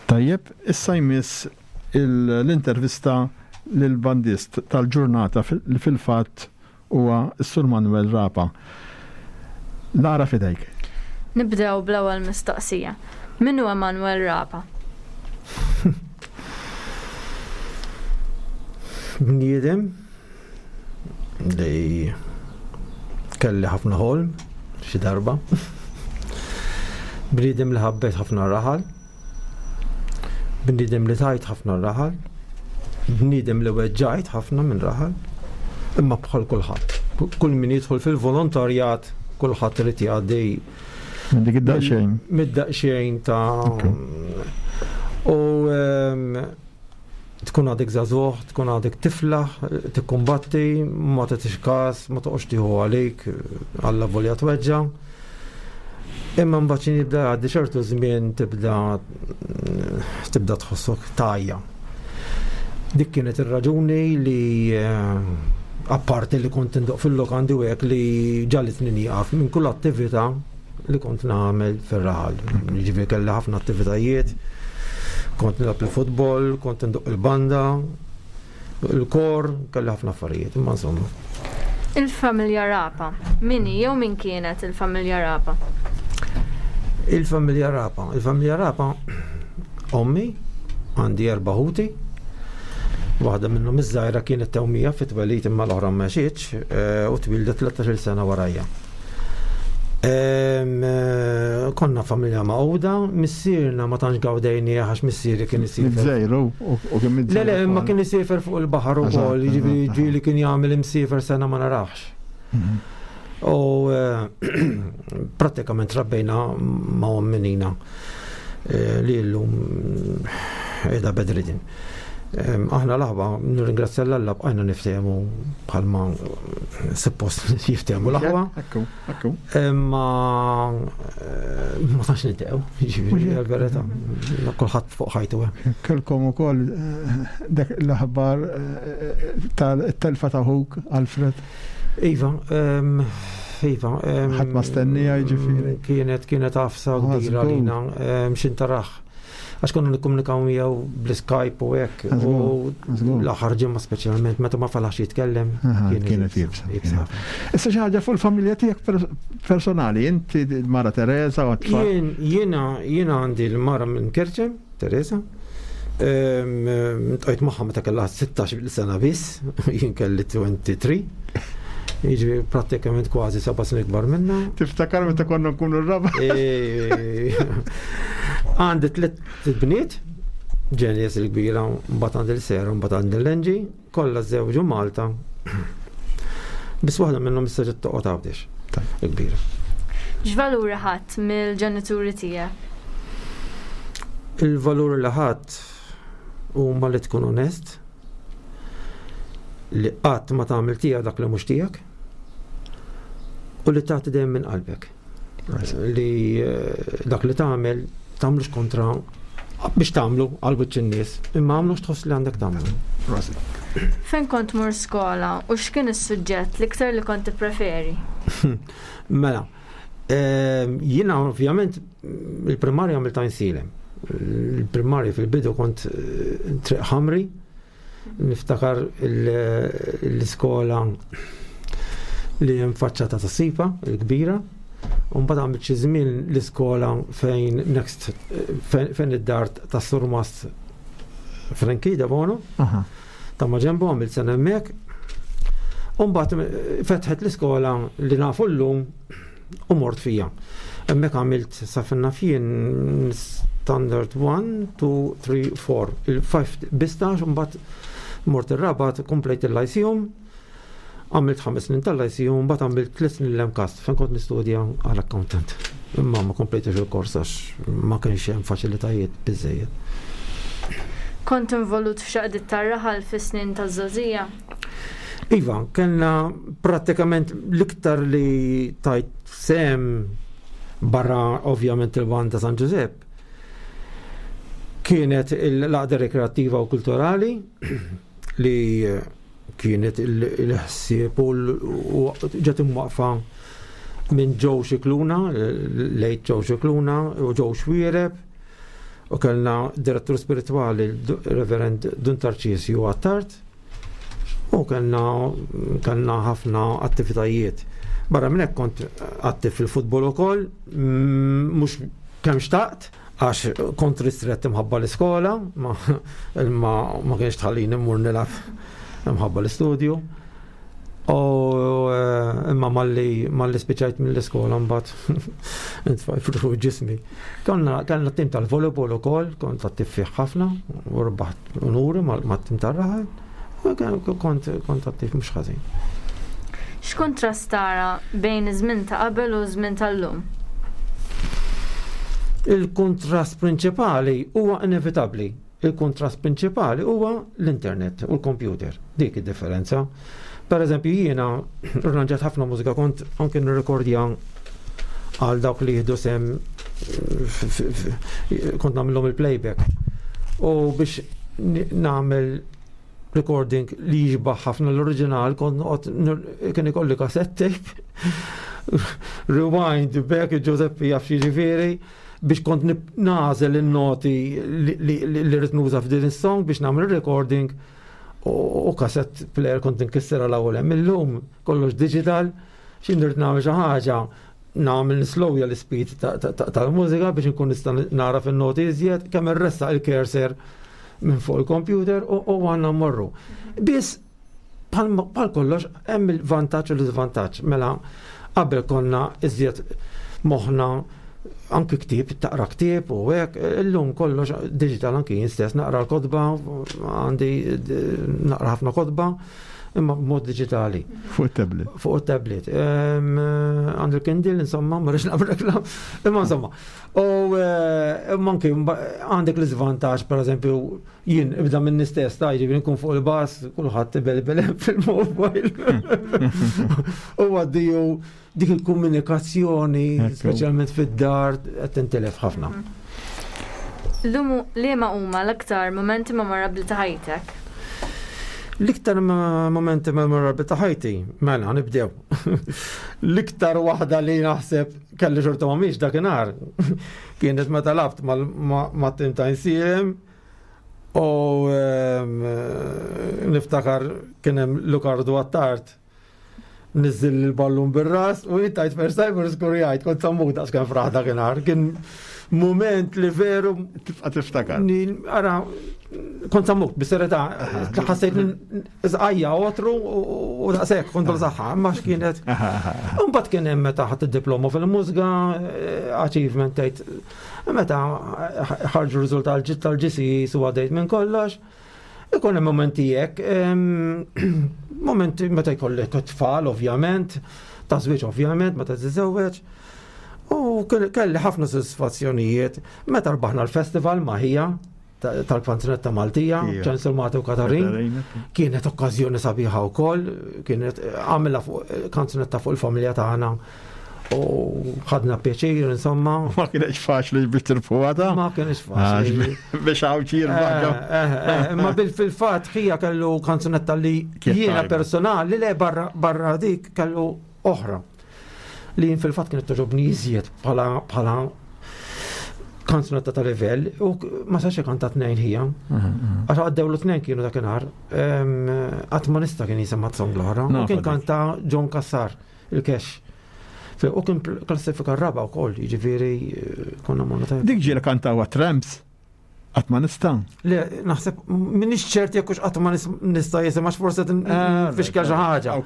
Tajjeb, issa jmiss il-, l-intervista lill-bandist tal-ġurnata fil-, li fil-fatt huwa s-Sur Manuel Rapa. Lara, fidejk. Nibdew bl-ewwel mistoqsija. Min huwa Manuel Rapa? Bniedem li kelli ħafna ħolm xi darba. Bniedem li ħabbet ħafna raħal. Bniedem li tajt ħafna raħal. Bniedem li weġġajt ħafna minn raħal. Imma bħal kulħadd. Kull min jidħol fil-volontarjat, kulħadd irid jgħaddi Minn dik id-daqsxejn. Mid-daqsxejn ta' Ok. U, ehm, tkun għadek żagħżugħ, tkun għadek tiflaħ, tikkumbatti, ma tagħtix każ, ma toqgħodx tieħu għalik, alla volja tweġġa'. Imma mbagħad xi jibda jgħaddi ċertu żmien tibda, tibda tħossok tajja. Dik kienet ir-raġuni li, eh, apparti li kont indoq fil-lokandi u hekk li ġalitni nieqaf minn kull attività li kont nagħmel fir-raħal. Jiġifieri kelli ħafna attivitajiet, kont nilgħab il-futbol, kont indoq il-banda, il-kor, kelli ħafna affarijiet, imma insomma. Il-familja Rapa, min hi jew min kienet il-familja Rapa? Il-familja Rapa, il-familja Rapa, ommi, għandi erba' ħuti, waħda minnhom iż-żgħira kienet tewmija fit-twelid imma l-oħra ma għexitx, eh, u twildet tlettax-il sena warajja. Em, eh, konna familja maqgħuda, missierna ma tantx gawdejni għax missieri kien isiefer. Mizzejru, u, u kien mizzejru Le, le, imma ukoll. kien isiefer fuq il-baħar Eżatt, ukoll, jiġifieri eżatt, ġieli kien jagħmel imsiefer sena ma narax. Mhm. U, eh, prattikament rabbejna ma' omminina, eh, li llum qiegħda bedridin. Em, aħna l-aħwa, nirringrazzja l-Alla bqajna niftehmu bħalma suppost jiftehmu l-aħwa. Ekku, ekku. Imma, eh, ma tantx niltaqgħu, jiġifieri, Mhux hekk. għal-verità. Kulħadd fuq ħajtu hemm. Kelkom ukoll, eh, dak l-aħbar, eh, tal-telfa ta' ħuk, Alfred. Iva, em, iva, em, Ħadd ma stennija, jiġifieri. Kienet, kienet għafsa Ah, kbira żgur. għalina, em, x'intaraħ. Għax konna nikkomunikaw miegħu bl-Skype u hekk, Żgur, u żgur. l-aħħar ġimgħa speċjalment meta ma falax jitkellem, Aha, kienet kienet iebsa, iebsa kienet. ħafna. Issa xi ħaġa fuq il-familja tiegħek pers-, personali, inti l-mara Teresa u t-tfal. Jien, jiena, jiena għandi l-mara minn Kerċem, Teresa. Ehm, ehm, tqajt magħha meta kellha sittax-il sena biss, jien kelli twenty-three. Jiġifieri prattikament kważi seba' snin ikbar minna. Tiftakar meta konna nkunu r-raba? E, għandi tliet bniet, Ġenies il-kbira, mbagħad għandi l-Sera, mbagħad għandi l-Enġi, kollha żewġu Malta. Biss waħda minnhom issa ġiet toqgħod Għawdex, Tajjeb. il-kbira. X'valuri ħadd mill-ġenituri tiegħek? Il-valuri li ħadd huma li tkun onest, li qatt ma tagħmel tiegħek dak li mhux tiegħek, u li tagħti dejjem minn qalbek. Li, eh, dak li tagħmel tagħmlux kontra biex tagħmlu għal wiċċ in-nies, imma għamlux tħoss li għandek tagħmlu. Prosit. Fejn kont tmur skola u x'kien is-suġġett l-iktar li kont tippreferi? Mela, ehm, jiena ovvjament il-primarja għamilt Għajnsielem. Il-primarja fil-bidu kont, eh, Triq Ħamri, niftakar il-, l-iskola li hemm faċċata ta' Sipa, il-kbira, u mbagħad għamilt xi żmien l-iskola fejn next, fejn, fejn id-dar ta' Surmast Franki Debono, Aha. ta' ma ġembu għamilt sena hemmhekk. U mbagħad fetħet l-iskola li nafu llum u mort fija. Hemmhekk għamilt sa fejn naf jien standard one, two, three, four, il-five bistax, u mbagħad mort ir-Rabat, komplejt il-Lyceum, għamilt ħames snin tal-Lyceum, mbagħad għamilt tliet snin l-MCAST, fejn kont nistudja għal accountant. Imma ma komplejtx il-kors għax ma kienx hemm faċilitajiet biżejjed. Kont involut f'xaqdiet tar-raħal fis-snin taż-żgħożija? Iva, kellna prattikament l-iktar li tajt sem barra ovvjament il-banda San Giuseppe. Kienet l-għaqda rekreattiva u kulturali li kienet il-ħsieb u ġiet imwaqfa minn Joe Scicluna, late Joe Scicluna u Joe Xuereb, u kellna direttur spiritwali Reverend Dun Tarċisju Attard, u kellna kellna ħafna attivitajiet. Barra minn hekk kont attiv fil-futbol ukoll, mhux kemm xtaqt, għax kont ristrett imħabba l-iskola, ma, ma, ma kienx tħallini mmur nilgħab imħabba l-istudju. U imma malli malli spiċajt mill-iskola mbagħad intfaj fuq ġismi. Konna kellna tim tal-volleyball ukoll, kont attiv fih ħafna, u rbaħt unuri mat-tim tar-raħal. Kont kont attiv mhux ħażin. X'kuntrast tara bejn iż-żmien ta' qabel u żmien tal-lum? Il-kontrast prinċipali huwa inevitabbli. Il-kontrast prinċipali huwa l-internet u l-computer. Dik id-differenza. Per eżempju, jiena rranġat ħafna mużika, kont anke nirrekordja għal dawk li jieħdu sem, kont nagħmilhom il-playback. U biex nagħmel recording li jixbaħ ħafna l-oriġinal, kont noqgħod kien ikolli cassette tape, rewind back, Giuseppe jaf jiġifieri, biex kont nagħżel in-noti li rrid nuża f'din is-song biex nagħmel recording, u cassette player kont nkissera l-ewwel hemm. Illum kollox digital, xi nrid nagħmel xi ħaġa nagħmel nislowja l-speed tal-mużika biex nkun nista' nara fin-noti iżjed, kemm irressaq il-cursor minn fuq il-computer u għandna mmorru. Biss bħal kollox hemm il-vantaġġ u l-iżvantaġġ. Mela qabel konna iżjed moħħna anki ktieb, taqra ktieb u hekk, illum kollox digital, anki jien stess naqra l-kotba, għandi naqra ħafna kotba, imma b'mod digitali. Fuq il-tablet. Fuq il-tablet. Għandu l-Kindle, insomma, ma rridx nagħmel reklam, imma insomma. U imma anki għandek l-iżvantaġġ, per eżempju, jien ibda minn stess, ta' jiġifieri nkun fuq il-bus, kulħadd ibelbel fil-mobile. U għaddiju dik il-komunikazzjoni, speċjalment fid-dar, qed tintilef ħafna. Lumu liema huma l-aktar momenti memorabbli ta' ħajtek? L-iktar momenti memorabbli ta' ħajti, mela nibdew. L-iktar waħda li naħseb kelli xorta ma miex dakinhar kienet meta labt ma' tim ta' Għajnsielem u niftakar kien hemm Lukardu Attard niżżil il-ballun bir-ras u jittajt first time u skurjajt, kont sammu daqs kemm fraħ dakinhar. Kien moment li veru Tibqa' tiftakar. Ara, kont sammuk, bis-serjetà, ħassejt żqajja otru u daqshekk kont saħħa, imma x'kienet. Imbagħad kien hemm meta ħadd id-diploma fil-mużika, achievement tgħid, meta ħarġu riżultat tal-G C E su għaddejt minn kollox. Ikun hemm momenti hekk, momenti meta jkollek tfal ovvjament, ta' żwieġ ovvjament, meta tiżewweġ. U kelli ħafna soddisfazzjonijiet meta rbaħna l-festival ma' ħija tal-kanzunetta Maltija, Ċensur Mati u Katarin. Kienet okkażjoni sabiħa wkoll, kienet għamilna fuq kanzunetta fuq il-familja tagħna u ħadna pjaċir, insomma. Ma kienx faċli biex tirbħuha ta'? Ma kienx faċli. Biex għawċi jirbaħ. Ma bil fil-fatt ħija kellu kanzunetta li jiena personali le barra dik kellu oħra. Li jien fil-fatt kienet togħġobni iżjed bħala kanzunetta ta' livell u ma sax kanta tnejn ħija. Għax għaddew l tnejn kienu dakinhar. Qatt ma nista' kien jisimha song l-oħra. U kien kanta John Cassar, il-Cash. U kien klassifika r-raba wkoll, jiġifieri konna morna tajjeb. Dik ġieli kantaw Tramps. Qatt ma nista'. Le, naħseb minix ċert jekk hux qatt ma nista' jisim għax forse fixkel xi ħaġa.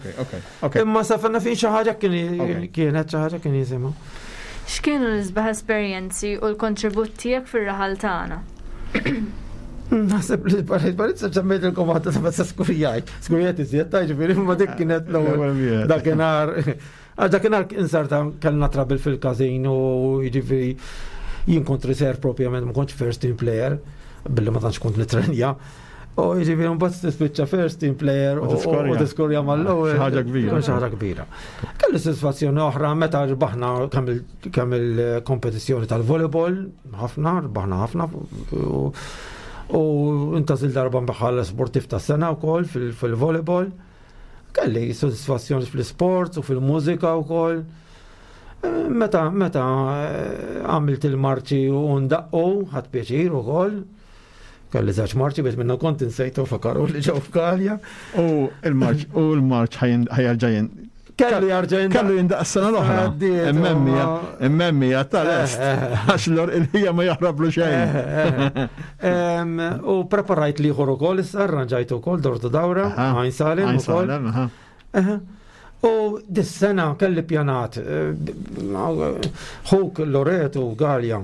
Imma sa fenna fin xi ħaġa kienet xi ħaġa kien jisimha. X'kienu l-isbaħ esperjenzi u l-kontribut tiegħek fir-raħal tagħna? Naħseb li l-barizza ġammejt il-komata ta' meta skurijajt. Skurijajt iżjed ta' ġifieri ma dik kienet l-ewwel dakinhar. Għax dakinhar insarta kellna trouble fil-każin u jiġifieri jien kont reserve propjament, ma kontx first team player, billi ma tantx kont nitrenja. U jiġifieri mbagħad tispiċċa first team player u tiskorja mal-ewwel. Xi ħaġa kbira. Xi ħaġa kbira. Kelli sodisfazzjoni oħra meta rbaħna kemm il-kompetizzjoni tal-volleyball, ħafna, rbaħna ħafna. U intgħażilt darba bħala sportiv ta' sena wkoll fil-volleyball. Kelli sodisfazzjoni fl-sport u fil-mużika wkoll. Meta meta għamilt il-marċi u ndaqqu, ħadt pjaċir ukoll. Kelli żewġ marċi biex minna kont insejtu fakaru li ġew f'Galja. U il-marċ u l-marċ ħa jerġa' Kellu jarġa' Kellu jindaq s-sena l-oħra. Immemmija, immemmija tal-est. Għax l il-ħija ma jaħrablu xejn. U preparajt l-ieħor ukoll issa, arranġajt ukoll dortu dawra, Għajn Salem ukoll. U dis-sena kelli pjanat, ħuk Loreto Galja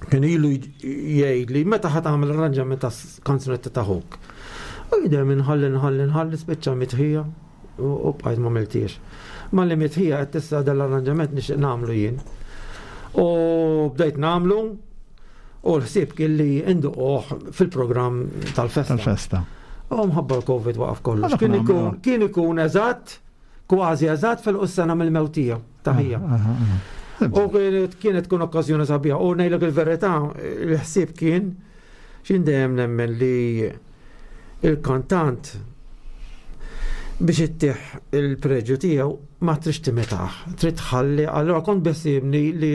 kien ilu jgħid li meta ħa tagħmel arranġament ta' kanzunetta ta' ħuk. U jidher nħalli nħalli nħalli spiċċa mitħija u bqajt ma għamiltiex. Ma li mitħija qed tista' dal-arranġament nixtieq nagħmlu jien. U bdejt nagħmlu u l-ħsieb kien li induquh fil-programm tal-festa. Tal-festa. U mħabba l-Covid waqaf kollox. Kien ikun kien ikun eżatt, kważi eżatt fil-sena mill-mewt tiegħu ta' ħija. U kienet tkun okkażjoni sabiħa. U ngħidlek il-verità, il-ħsieb kien x'in dejjem nemmen li il-kantant biex ittih il-preġju tiegħu ma trix timitaħ, trid tħalli. Allura kont beħsiebni li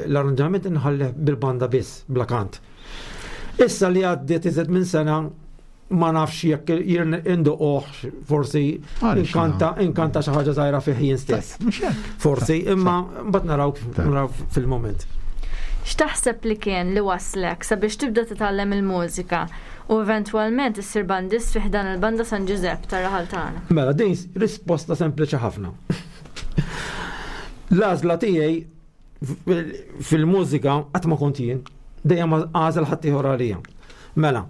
l-arranġament inħallih bil-banda biss, bla kant. Issa li għaddiet iżed minn sena ma nafx jekk induquh, forsi inkanta inkanta xi ħaġa żgħira fih jien stess. Forsi, imma mbagħad naraw naraw fil-moment. X'taħseb li kien li waslek sabiex tibda titgħallem il-mużika u eventwalment issir bandist fi ħdan il-Banda San Ġużepp tar-raħal tagħna? Mela, din risposta sempliċi ħafna. L-għażla tiegħi fil-mużika qatt ma kont jien, dejjem għażel ħadd ieħor għalija. Mela,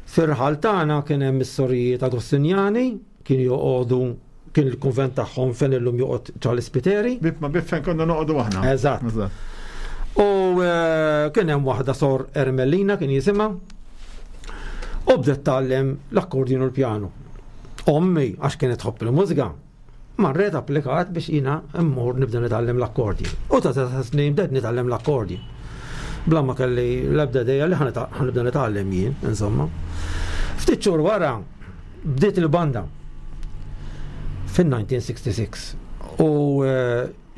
fir-raħal tagħna kien hemm is-sorijiet Agostinjani, kien joqogħdu kien il-kunvent tagħhom fejn illum joqgħod Charles Spiteri. Bib ma bib fejn konna noqogħdu aħna. Eżatt. U kien hemm waħda sor Ermelina kien jisimha. U bdiet tgħallem l-akkordjon u l-pjanu. Ommi, għax kienet tħobb il-mużika, marret applikat biex jiena mmur nibda nitgħallem l-akkordjon. U ta' ta' snin bdejt nitgħallem l-akkordjon. Bla ma kelli l-ebda idea li ħa nibda nitgħallem jien, insomma. Ftit xhur wara bdiet il-banda fin-nineteen sixty-six. U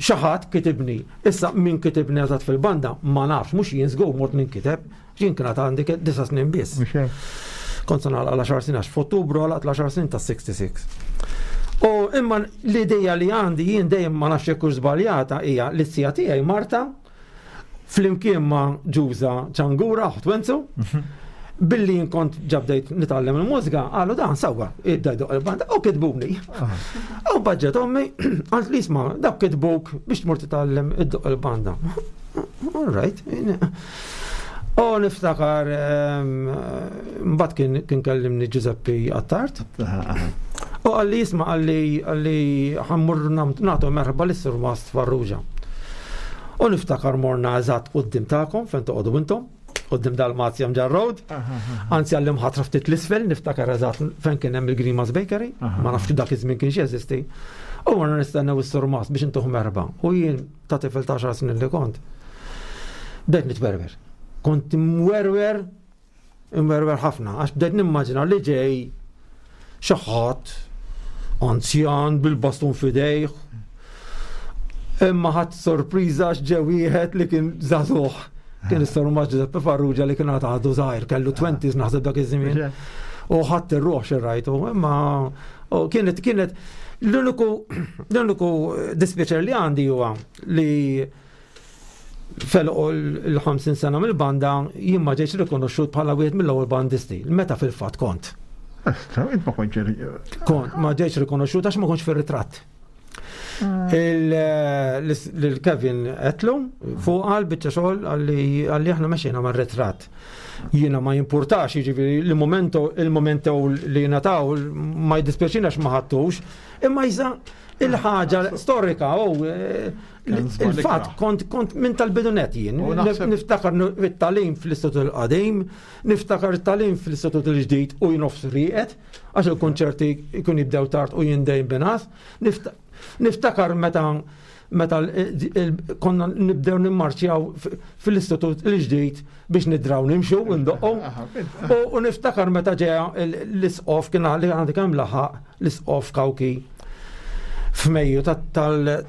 xi ħadd kitibni. Issa min kitibni eżatt fil-banda ma nafx, mhux jien żgur mort ninkiteb, jien kien għandi disa' snin biss. Kont se nagħlaq għaxar snin għax f'Ottubru għalaqt l-għaxar snin ta' sixty-six. U imma l-idea li għandi jien dejjem ma nafx jekk hux żbaljata hija li t-sija tiegħi Marta flimkien ma' Ġuża Ċangura oħt Wenzu, billi jien kont ġabdejt nitgħallem il-mużika, qalu dan sewwa, ibda jdoq il-banda u kitbuni. U baġġet ommi, qalt li isma' dak kitbuk biex tmur titgħallem iddoq il-banda. All right. U niftakar, mbagħad kien, kien kellimni Giuseppe Attard. U qalli isma', qalli, qalli ħammur nagħtu merħba lis-Sur Mast Farrugia. U niftakar morna eżatt quddiem tagħkom fejn toqogħdu intom, quddiem Dalmazja Mġarr Road. Anzi għallim ħatra ftit l-isfel, niftakar eżatt fejn kien hemm il-Grimas Bakery, ma nafx dak iż-żmien kienx jeżisti. U morna nistennew is-Sur Mast biex intuh merħba. U jien ta' tifel ta' għaxar snin li kont, bdejt nitwerwer. Kont imwerwer, imwerwer ħafna, għax bdejt nimmaġina li ġej xi ħadd anzjan bil-bastun f'idejh. Imma ħadd sorpriża għax ġew wieħed li kien żagħżugħ. Kien is-Sur Mast Giuseppe Farrugia li kien għadu żgħir, kellu twenties naħseb dak iż-żmien. U ħadd ir-ruħ xi rajtu, imma u kienet, kienet l-uniku, l-uniku dispjaċer li għandi huwa li felqu l-ħamsin sena mill-banda jien ma ġejtx rikonoxxut bħala wieħed mill-ewwel bandisti, meta fil-fatt kont. Esta, int ma kontx ri- Kont, ma ġejtx rikonoxxut għax ma kontx fir-ritratt. Il-Kevin Etlu fuq għal biċċa xogħol għalli aħna mexxejna mar-ritratt. Jiena ma jimpurtax, jiġifieri il-momento, il-momento li nataw ma jiddispjaċinax ma ħadtux, imma jisa il-ħaġa storika u il-fatt kont, kont minn tal-bidunet jien. U naħseb Niftakar it-talim fl-Istitut il-Qadim, niftakar it-talim fl-Istitut il-Ġdid u jien nofs rieqed, għax il-konċerti jkun jibdew tard u jien dejjem binas. Nifta-, Niftakar meta meta konna nibdew nimmarċjaw fil-istitut il-ġdid biex nidraw nimxu u ndoqqu. U niftakar meta ġeja l-isqof kien li għandi kemm laħaq l-isqof Kawki f'Mejju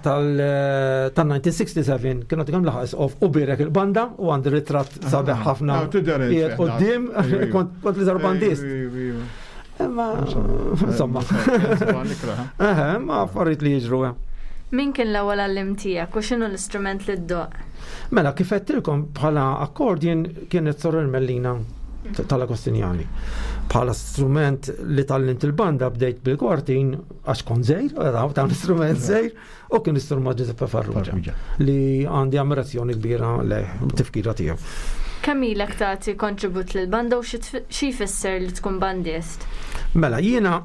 tal-nineteen sixty-seven kien għandi kemm laħaq isqof u birek il-banda u għandi ritratt sabiħ ħafna qiegħed quddiem, kont l-iżgħar bandist. Imma insomma. Eħe, ma affarijiet li jiġru. Min kien l-ewwel għallim tiegħek u x'inhu l-istrument li ddoqq? Mela, kif għedtilkom bħala accordion kienet Sorel Mellina tal-Agostinjani. Bħala strument li tgħallimt il-banda bdejt bil-kwartin għax kont żgħir, ta' istrument żgħir, u kien istrument Giuseppe Farrugia li għandi ammirazzjoni kbira lejh, tifkira tiegħu. Kemm ilek tagħti kontribut lill-banda u xi jfisser li tkun bandist? Mela, jiena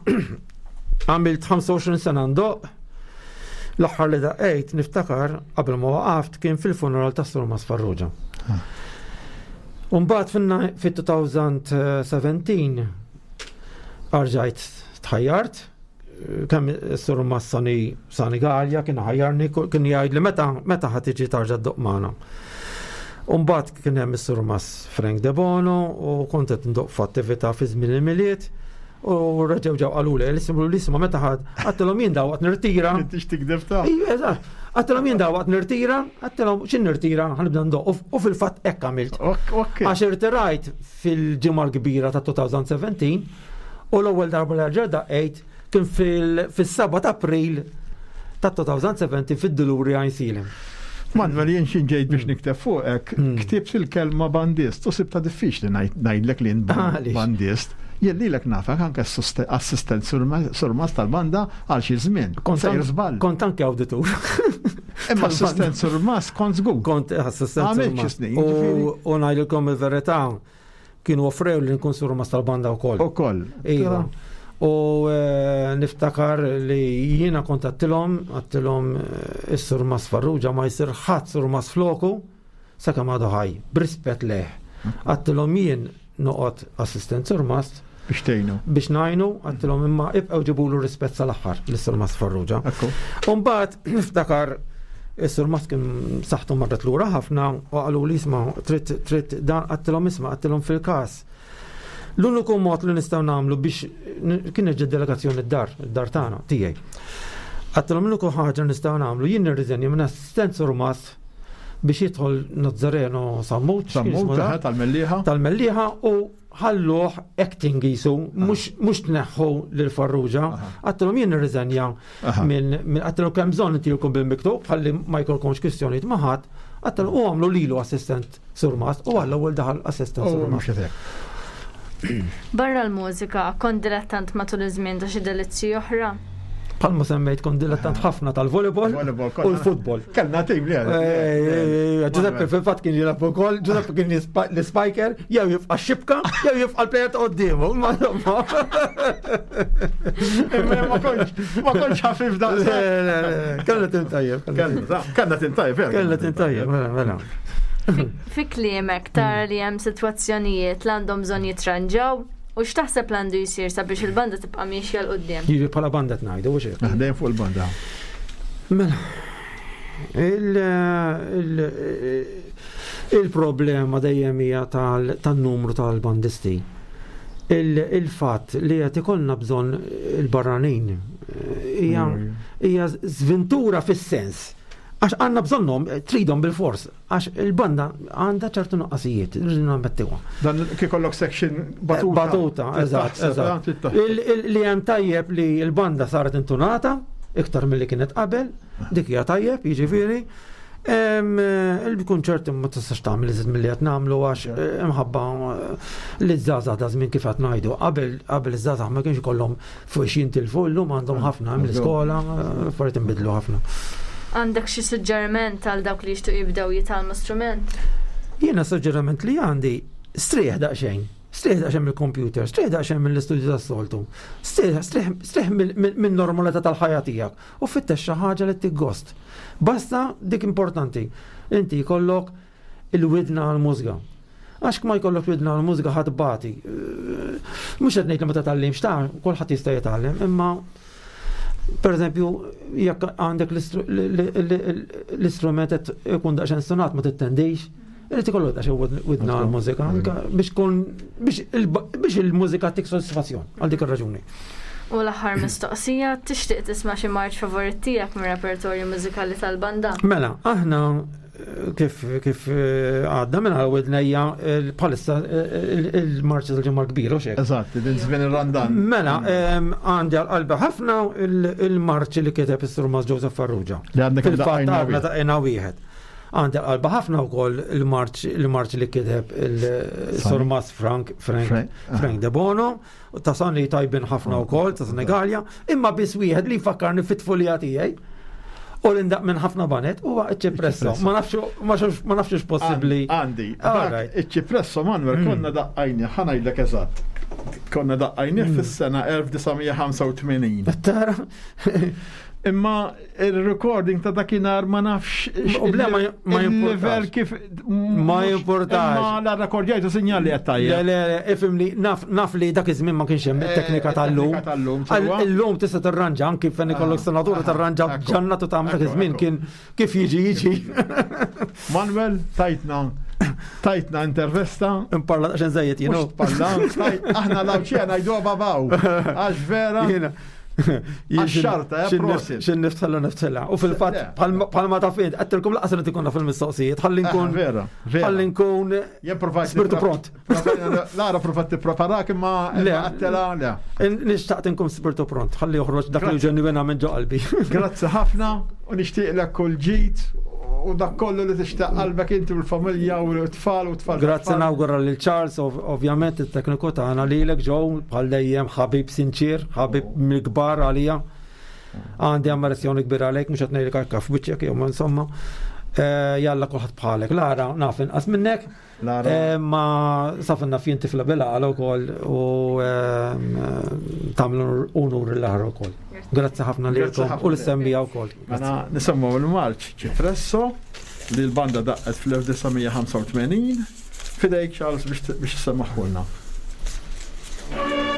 għamilt ħamsa u għoxrin sena ndoqq. L-aħħar li daqqejt niftakar qabel ma waqaft kien fil-funeral ta' Sur Mas Farrugia. U mbagħad fit-two thousand seventeen arġajt tħajjart, kemm is-Sur Mas Sani, Sani Galea kien ħajjarni, kien jgħid li meta, meta ħa tiġi tarġa' ddoqq magħna. U mbagħad kien hemm is-Sur Mas Frank De Bono u kont qed ndoqq f'attività fi żmien il-Milied. U reġgħu ġew qaluli, l-ismu l-isma meta ħadd, għattilhom jien dawqt nirtira. Intix tikdeb ta'. Ejja, eżatt. Għattilhom jien dawqt nirtira, għattilhom x'in nirtira, ħanibda ndoqq. U fil-fatt hekk għamilt. Ok, ok. Għax irtirajt fil-ġimgħa l-kbira ta' two thousand seventeen u l-ewwel darba li rġa' daqqejt kien fil-, fis-seba' ta' April ta' two thousand seventeen fid-Duluri Għajnsielem. Manuel, jien xi ġejt biex nikteb fuqek, Hmm. ktibt il-kelma bandist, u sibta diffiċli ngħid, ngħidlek li jien Għaliex? bandist. Jien lilek nafek anke assoste-, assistent surma-, surmas tal-banda għal xi żmien. Kont Sejr an- żball. Kont anke awditur. Imma assistent surmas kont żgur. Kont assistent Għamilt xi surmas. snin, U- ġifieri. U ngħidilkom il-verità, kienu offrew li nkun surmas tal-banda wkoll. Ukoll. Iva. U, eh, niftakar li jiena kont għattilhom, għattilhom, eh, is-surmas Farrugia ma jsir ħadd surmas floku sakemm għadu ħaj, b'rispett leh. Għattilhom jien noqgħod assistent surmas biex tgħinu. Biex ngħinu, għattilhom imma ibqgħu ġibulu rispett sal-aħħar lis-surmas Farrugia. Ekku. U mbagħad niftakar is-surmas kien saħħtu marret lura ħafna u qalu li isma' trid, trid dan, għattilhom isma', għattilhom fil-każ. L-uniku mod li nistgħu nagħmlu biex n-, kien ġed delegazzjoni d-dar, id-dar tagħna tiegħi. Għattilhom l-uniku ħaġa nistgħu nagħmlu jien nirriżenja minn assistent surmas biex jidħol Nazzareno Sammut, x'kien Sammut, jismu da? eħe, tal-Mellieħa. Tal-Mellieħa u ħalluh acting jisu, Aha. mhux, mhux tneħħu lil Farrugia. Aha. Għattilhom jien nirriżenja Aha. minn, minn għattilhom kemm bżonn intilkom bil-miktub, ħalli ma jkollkomx kwistjonijiet ma' ħadd. Għattilhom u għamlu lilu assistent surmas u għall-ewwel daħal assistent U surmas. mhux hekk. Barra l-mużika, kont dilettant matul iż-żmien ta' xi delizzji oħra? Palma semmejt kont dilettant ħafna tal-volleyball Volleyball, u konna- l-futbol. Kellna tim li għal. Eh, eh, eh, Giuseppe fil-fatt kien jilgħab ukoll, Giuseppe kien jispa-, l-spiker, jew jibqa' x-xibka, jew jibqa' l-player ta' quddiemu. Ma insomma. Imma ma kontx, ma kontx ħafif daqs. Le, le, le, kellna tim tajjeb, kellna tim Kellna, kellna tim tajjeb, vera. Kellna tim tajjeb, mela, mela. Fi kliemek tara li hemm sitwazzjonijiet li għandhom bżonn jitranġaw u x'taħseb li għandu jsir sabiex il-banda tibqa' miexja 'l quddiem? Jiġi bħala banda tnajdu, u xejn. Dejjem fuq il-banda. Mela, il-, il-, il-problema dejjem hija tal-, tan-numru tal-bandisti. Il-, il-fatt li qed ikollna bżonn il-barranin hija Mm. hija żventura fis-sens. Għax għandna bżonnhom, tridhom bil-fors, għax il-banda għandha ċertu nuqqasijiet, rridu nammettuha. Dan kif ikollok section batuta. Batuta, eżatt, Trid taħseb, eżatt. trid taħseb. Il-, il-, li hemm tajjeb li l-banda saret intunata, iktar milli kienet qabel, dik hija tajjeb, jiġifieri. Em, il-kunċerti ma tistax tagħmel iżid milli qed nagħmlu għax, Yeah. eh, imħabba, eh, li żgħażagħ da żmien kif qed ngħidu. Qabel, qabel iż-żgħażagħ ma kienx ikollhom fuq xi jintilfu, llum għandhom ħafna hemm l-iskola, eh, affarijiet inbidlu ħafna. Għandek xi suġġeriment għal dawk li jixtiequ jibdew jitgħallmu strument? Jiena suġġeriment li għandi, strieħ daqsxejn. Strieħ daqsxejn mill-computer, strieħ daqsxejn mill-istudju tas-soltu, strieħ, strieħ, strieħ mill-, mill-, min-normalità tal-ħajja tiegħek u fittex xi ħaġa li tiggost. Basta dik importanti, inti jkollok il-widna għall-mużika. Għax ma jkollok widna għall-mużika ħadd bati. Mhux qed ngħid li ma titgħallimx ta' kulħadd jista' jitgħallem, imma Per eżempju, jekk għandek l-istrument qed ikun daqsxejn stonat ma tittendix, irid ikollu daqsxejn widna għall-mużika biex tkun biex il-mużika tik sodisfazzjon għal dik ir-raġuni. U l-aħħar mistoqsija, tixtieq tisma' xi marċ favorit tiegħek mir-repertorju mużikali tal-banda? Mela, aħna kif kif għadna minn widnejja bħalissa il-marċi tal-Ġimgħa l-Kbira u xejn. Eżatt, din żmien ir-Randan. Mela, għandi għal qalbi ħafna il-marċi li kiteb is-Surmas Joseph Farrugia. Li għandna kemm Fil-fatt daqqajna għadna wieħed. daqqejna wieħed. Għandi għal qalbi ħafna wkoll il-marċ il-marċ li kiteb il-Surmas Frank Frank Frank, ah. Frank De Bono, ta' Sanni tajbin ħafna wkoll, ta' Senegalja, imma biss wieħed li fakkarni fit-tfulija tiegħi. U l-indaq minn ħafna banet huwa iċ-ċipresso. Ma nafx ma nafx ma nafx possibbli. Għandi, All dak right. iċ-ċipresso Manuel konna daqqajni, ħa ngħidlek eżatt. Konna daqqajni fis-sena elf disa' mija ħamsa u tmenin. Tara. Imma il-recording ta' dakinhar ma nafx U ble, ma ma il-level jimportax. kif Ma jimportax. Imma la rekordjajtu sinjali qed Le, tajjeb. le, le, ifhimni, naf, naf li dak iż-żmien ma kienx hemm Eh, it-teknika tal-lum. it-teknika tal-lum, Għal- sewwa. Illum tista' tirranġa anki fejn ikollok Aha, senatura aha, tirranġa ekku, ġannatu ta' dak ekku, iż-żmien ekku. kien kif jiġi jiġi. Manuel, tajtna tajtna intervesta. Imparla daqsxejn żejjed, you know. Mhux tparla, tajt- aħna l-Għawdxija ngħiduha babaw. Għax vera. Jiena. Għax-xarta, eh, prosit. Xin niftella niftella. U fil-fatt, Le. bħalma ta' fint, għattilkom laqas li tikonna fil-mistoqsijiet, ħalli nkun. Ah, vera, vera. Ħalli nkun. Jien provajt Spiritu nipra- pront. provajna- Lara provat tippreparak imma Le. imma għattela le. Nixtaqt nkun spiritu pront, ħalli joħroġ dak li Grazzi. ġenwina minn ġo qalbi. Grazzi ħafna u nixtieqlek kull ġid u dak kollu li tixtaq qalbek inti u l-familja u l-tfal u t-tfal. Grazzi nawgura lil Charles, ov- ovvjament it-tekniku tagħna lilek Joe, bħal dejjem ħabib sinċir, ħabib mill-kbar għalija. Għandi ammirazzjoni kbira għalek, mhux qed ngħidlek hekk f'wiċċek jew ma insomma. Eh, Jalla kulħadd bħalek. Lara naf inqas minnek. Lara. Eh, Ma saf naf jien tifla bil-għala wkoll u ehm, tagħmlu unur l-aħħar ukoll. Grazzi ħafna Grazzi lilkom ħafna. u l-semmija wkoll. Mela nisemmu l-marċ Ċipresso li l-banda daqqet fl-elf disa' mija ħamsa u tmenin. Fidejk Charles biex biex semmaħulna. Thank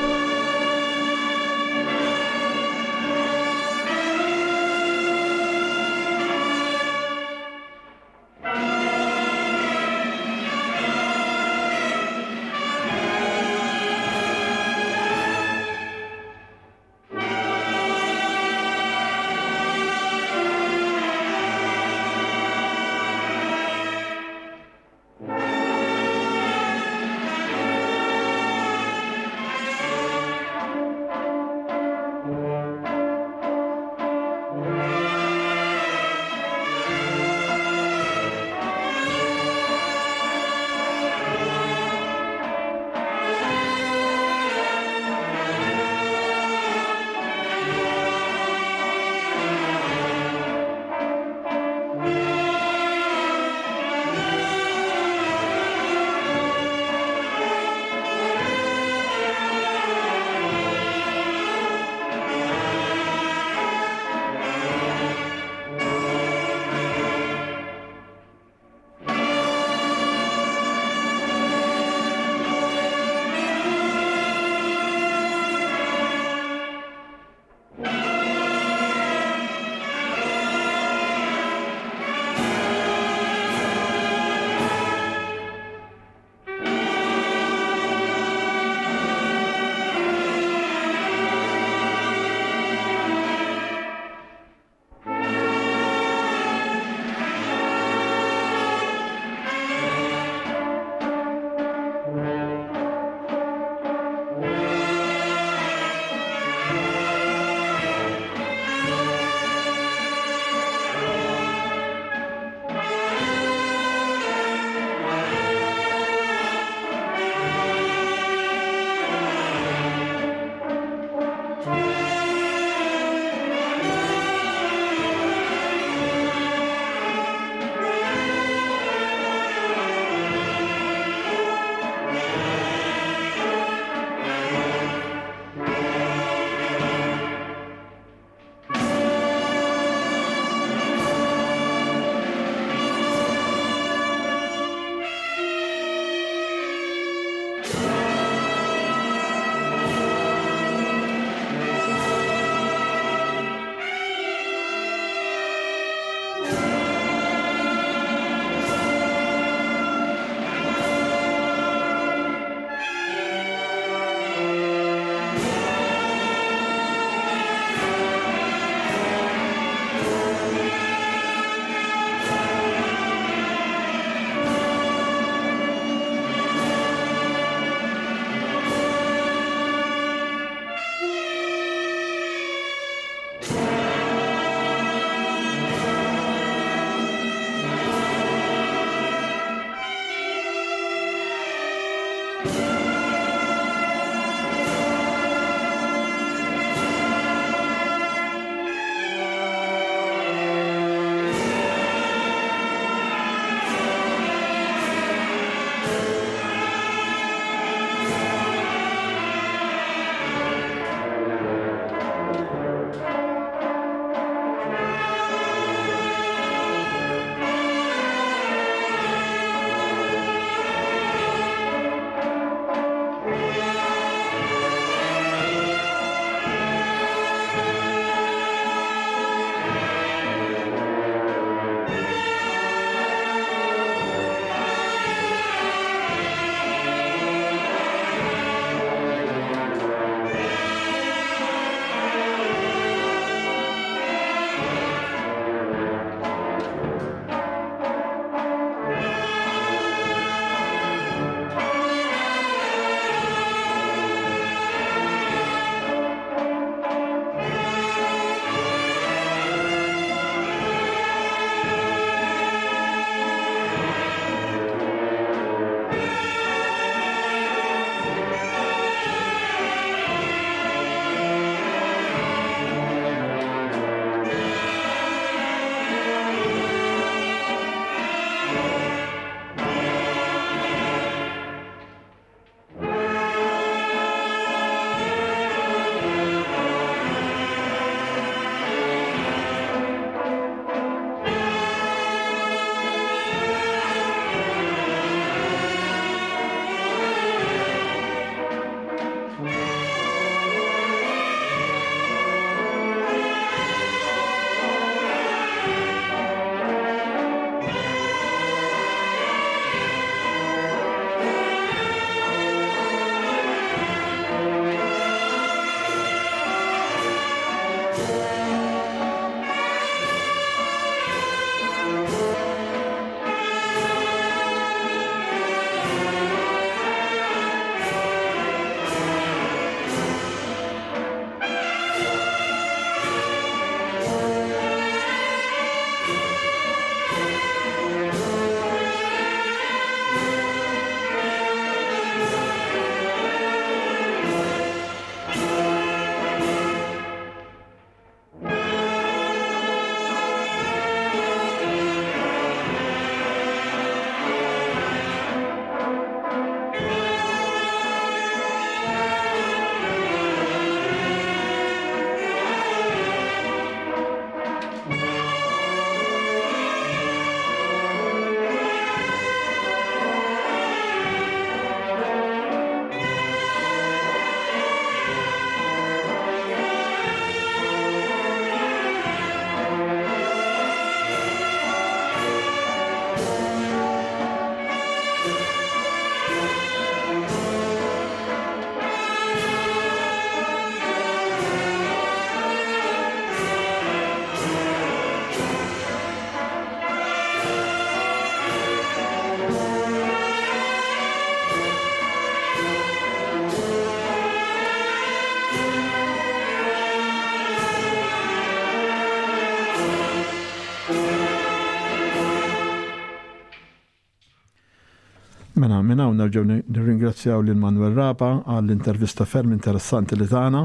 Mela minn hawn nerġgħu nirringrazzjaw lil Manuel Rapa għall-intervista ferm interessanti li tagħna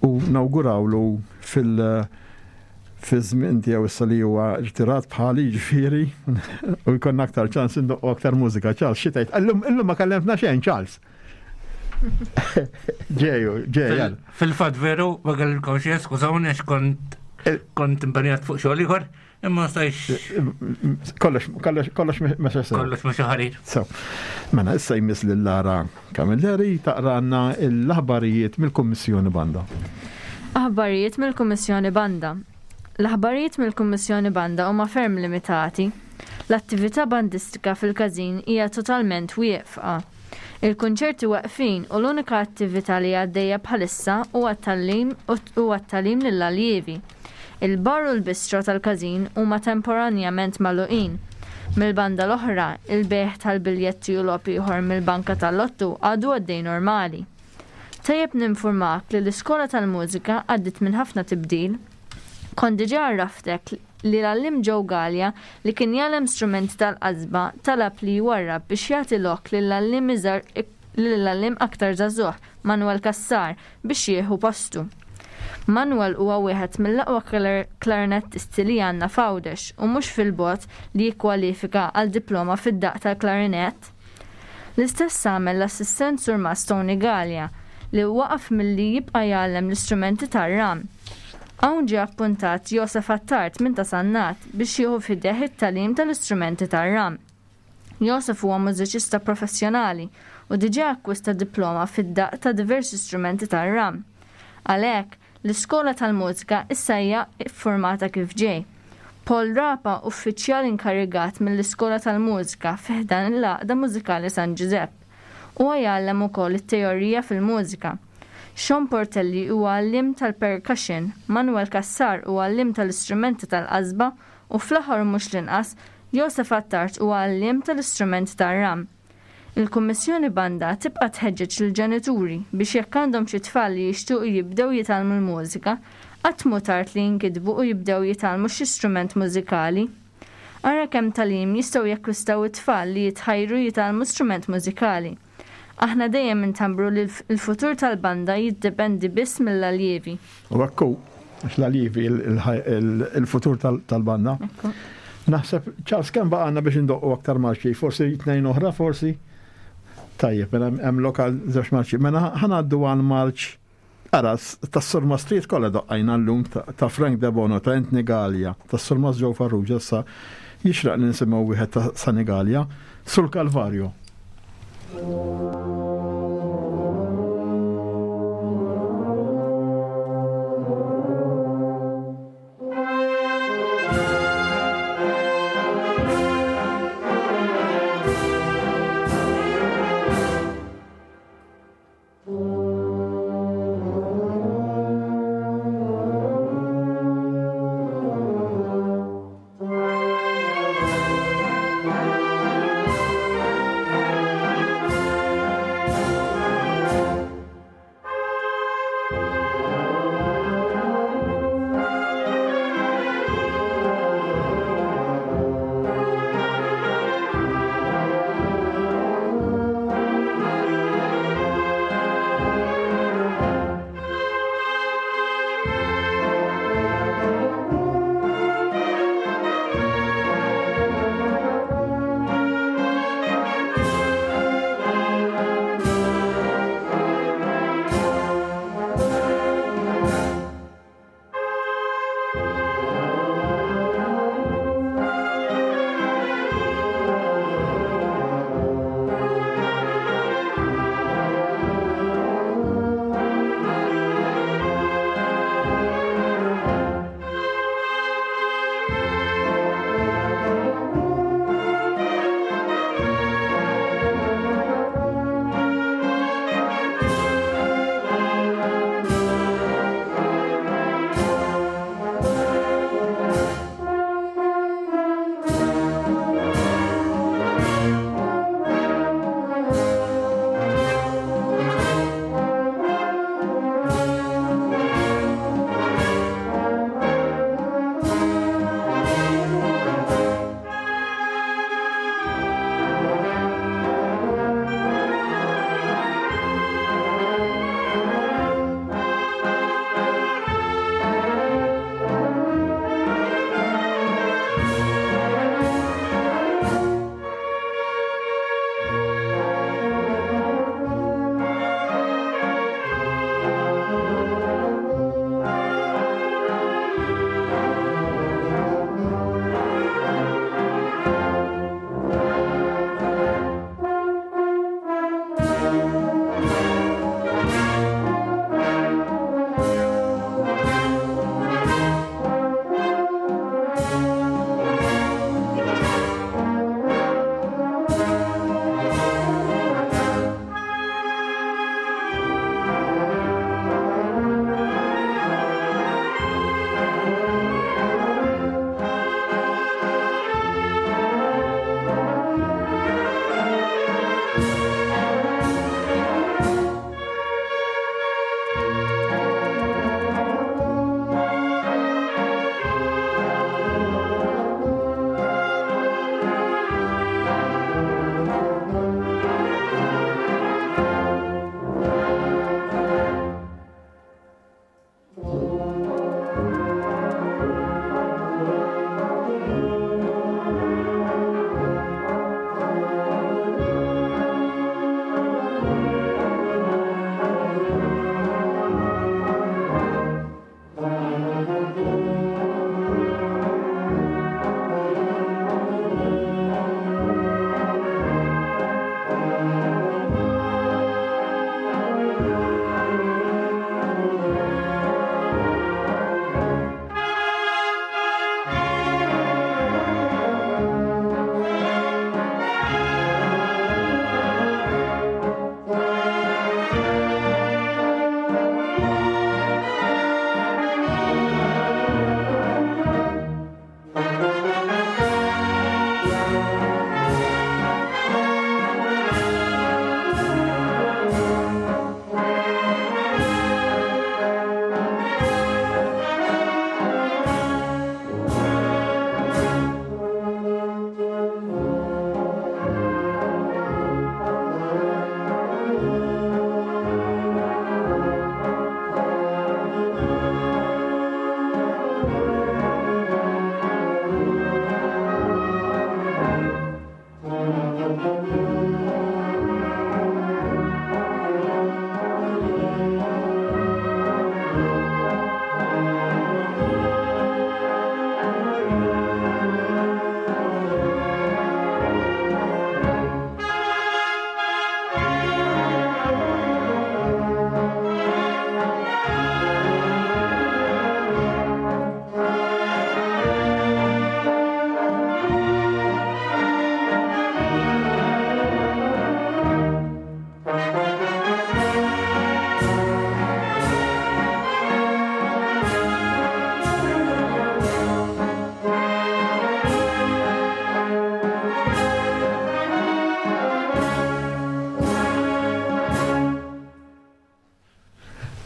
u nawgurawlu fil- fi żmien tiegħu issa li huwa irtirat bħali ġifieri u jkollna aktar ċans indoqqu aktar mużika. Charles, xi tgħid? Illum illum ma kellemtna xejn Charles. Ġeju, ġej. Fil-fatt veru, ma kellilkom xejn, skużawni għax kont kont impenjat fuq xogħol ieħor, imma stajx. Kollox, kollox, kollox mexa sew. Kollox mexa ħarir. So, mela issa jmiss lil Lara Camilleri taqranna l-aħbarijiet mill-Kummissjoni Banda. Aħbarijiet mill-Kummissjoni Banda. L-aħbarijiet mill-Kummissjoni Banda huma ferm limitati. L-attività bandistika fil-każin hija totalment wieqfa. Il-kunċerti waqfin u l-unika attività li għaddejja bħalissa huwa t-tagħlim huwa t-tagħlim lill-aljievi. Il-bar u l-bistro tal-każin huma temporanjament magħluqin. Mill-banda l-oħra, il-bejgħ tal-biljetti u logħob ieħor mill-banka tal-lottu għadu għaddej normali. Tajjeb ninformak li l-iskola tal-mużika għaddit minn ħafna tibdil. Kont diġà għarraftek li l-għalliem Joe Galea li kien jgħallem strumenti tal-qasba talab li jwarrab biex jagħti lok lill-għalliem iżgħar lill-għalliem aktar żagħżugħ Manuel Cassar biex jieħu postu. Manuel huwa wieħed mill-aqwa klarinettisti li għandna f'Għawdex u mhux fil-bogħod li jikkwalifika għal diploma fid-daqq tal-klarinett. L-istess għamel l-assistent Surmas Tony Galea li waqaf milli jibqa' jgħallem l-istrumenti tar-ram. Hawn ġie appuntat Josef Attard minn ta' Sannat biex jieħu f'idejh it-tagħlim tal-istrumenti tar-ram. Josef huwa mużiċista professjonali u diġà akkwista diploma fid-daqq ta' diversi strumenti tar-ram. Għalhekk, l-iskola tal-mużika issa hija ffurmata kif ġej. Paul Rapa, uffiċjal inkarigat mill-iskola tal-mużika fi ħdan l-Għaqda Mużikali San Giuseppe. Huwa jgħallem ukoll it-teorija fil-mużika. Sean Portelli huwa għalliem tal-percussion, Manuel Cassar huwa għalliem tal-istrumenti tal-qasba u fl-aħħar mhux l-inqas Josef Attard huwa għalliem tal-istrumenti tar-ram. Il-Kummissjoni Banda tibqa' tħeġġeġ lill-ġenituri biex jekk għandhom xi tfal li jixtiequ jibdew jitgħallmu l-mużika, qatt mhu tard li jinkitbu u jibdew jitgħallmu xi strument mużikali. Ara kemm tagħlim jistgħu jakkwistaw it-tfal li jitħajru jitgħallmu strument mużikali. Aħna dejjem intambru li l-futur tal-banda jiddependi biss mill-aljievi. U hekk hu, għax l-aljievi il-futur tal-banda. Naħseb, Charles, kemm baqgħna biex indoqqu aktar marċi? Forsi tnejn oħra, forsi? Tajjeb, mela hemm lokal żewġ marċi. Mela ħa ngħaddu għal marċ ara, tas-Surmastrijiet kollha doqqajna llum ta' Frank Debono, ta' Anthony Galea, tas-Surmas Joe Farrugia, issa jixraq li nisimgħu wieħed ta' Sunny Galea, sul Kalvarju. Thank you.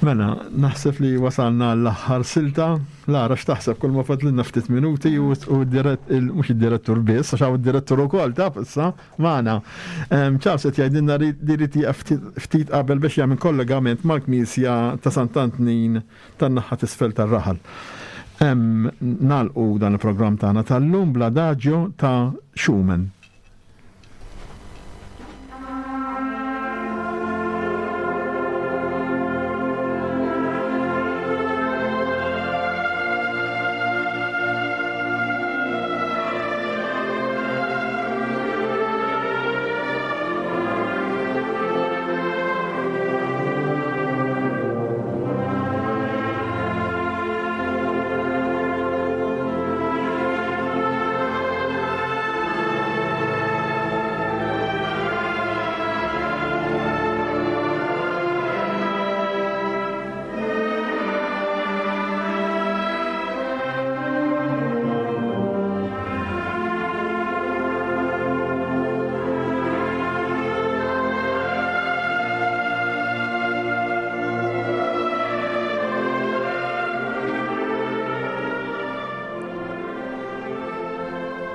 Mela, naħseb li wasalna l-aħħar silta. Lara, x'taħseb kull ma fadlilna ftit minuti u mhux id-direttur biss, għax hawn id-direttur ukoll taf issa magħna. Charles qed jgħidilna li jrid jieqaf ftit qabel biex jagħmel kollegament mal-Knisja ta' Sant'Antnin tan-naħa t'isfel tar-raħal. Nagħlqu dan il-programm tagħna tal-lum bl-Adagio ta' Schumann.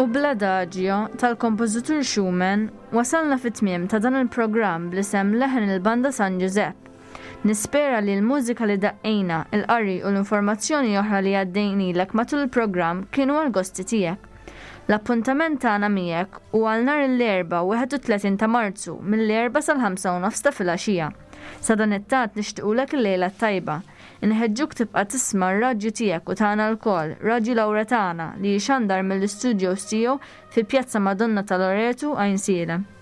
U bl-adagio tal-kompożitur Schumann wasalna fit-tmiem ta' dan il-programm bl-isem Leħen il-Banda San Giuseppe. Nispera li l-mużika li daqqejna, il-qari u l-informazzjoni oħra li għaddejnilek matul il-programm kienu għal-gosti tiegħek. L-appuntament tagħna miegħek hu għal nhar l-Erbgħa wieħed u tletin ta' Marzu mill-Erbgħa sal-ħamsa u nofs ta' filgħaxija. Sa dan it-tant nixtiequlek il-lejla t-tajba. Inħeġġuk tibqa' tisma' r-radju tiegħek u tagħna lkoll, Radju Lawretana, li jxandar mill-istudios tiegħu fi Pjazza Madonna ta' Loreto, Għajnsielem.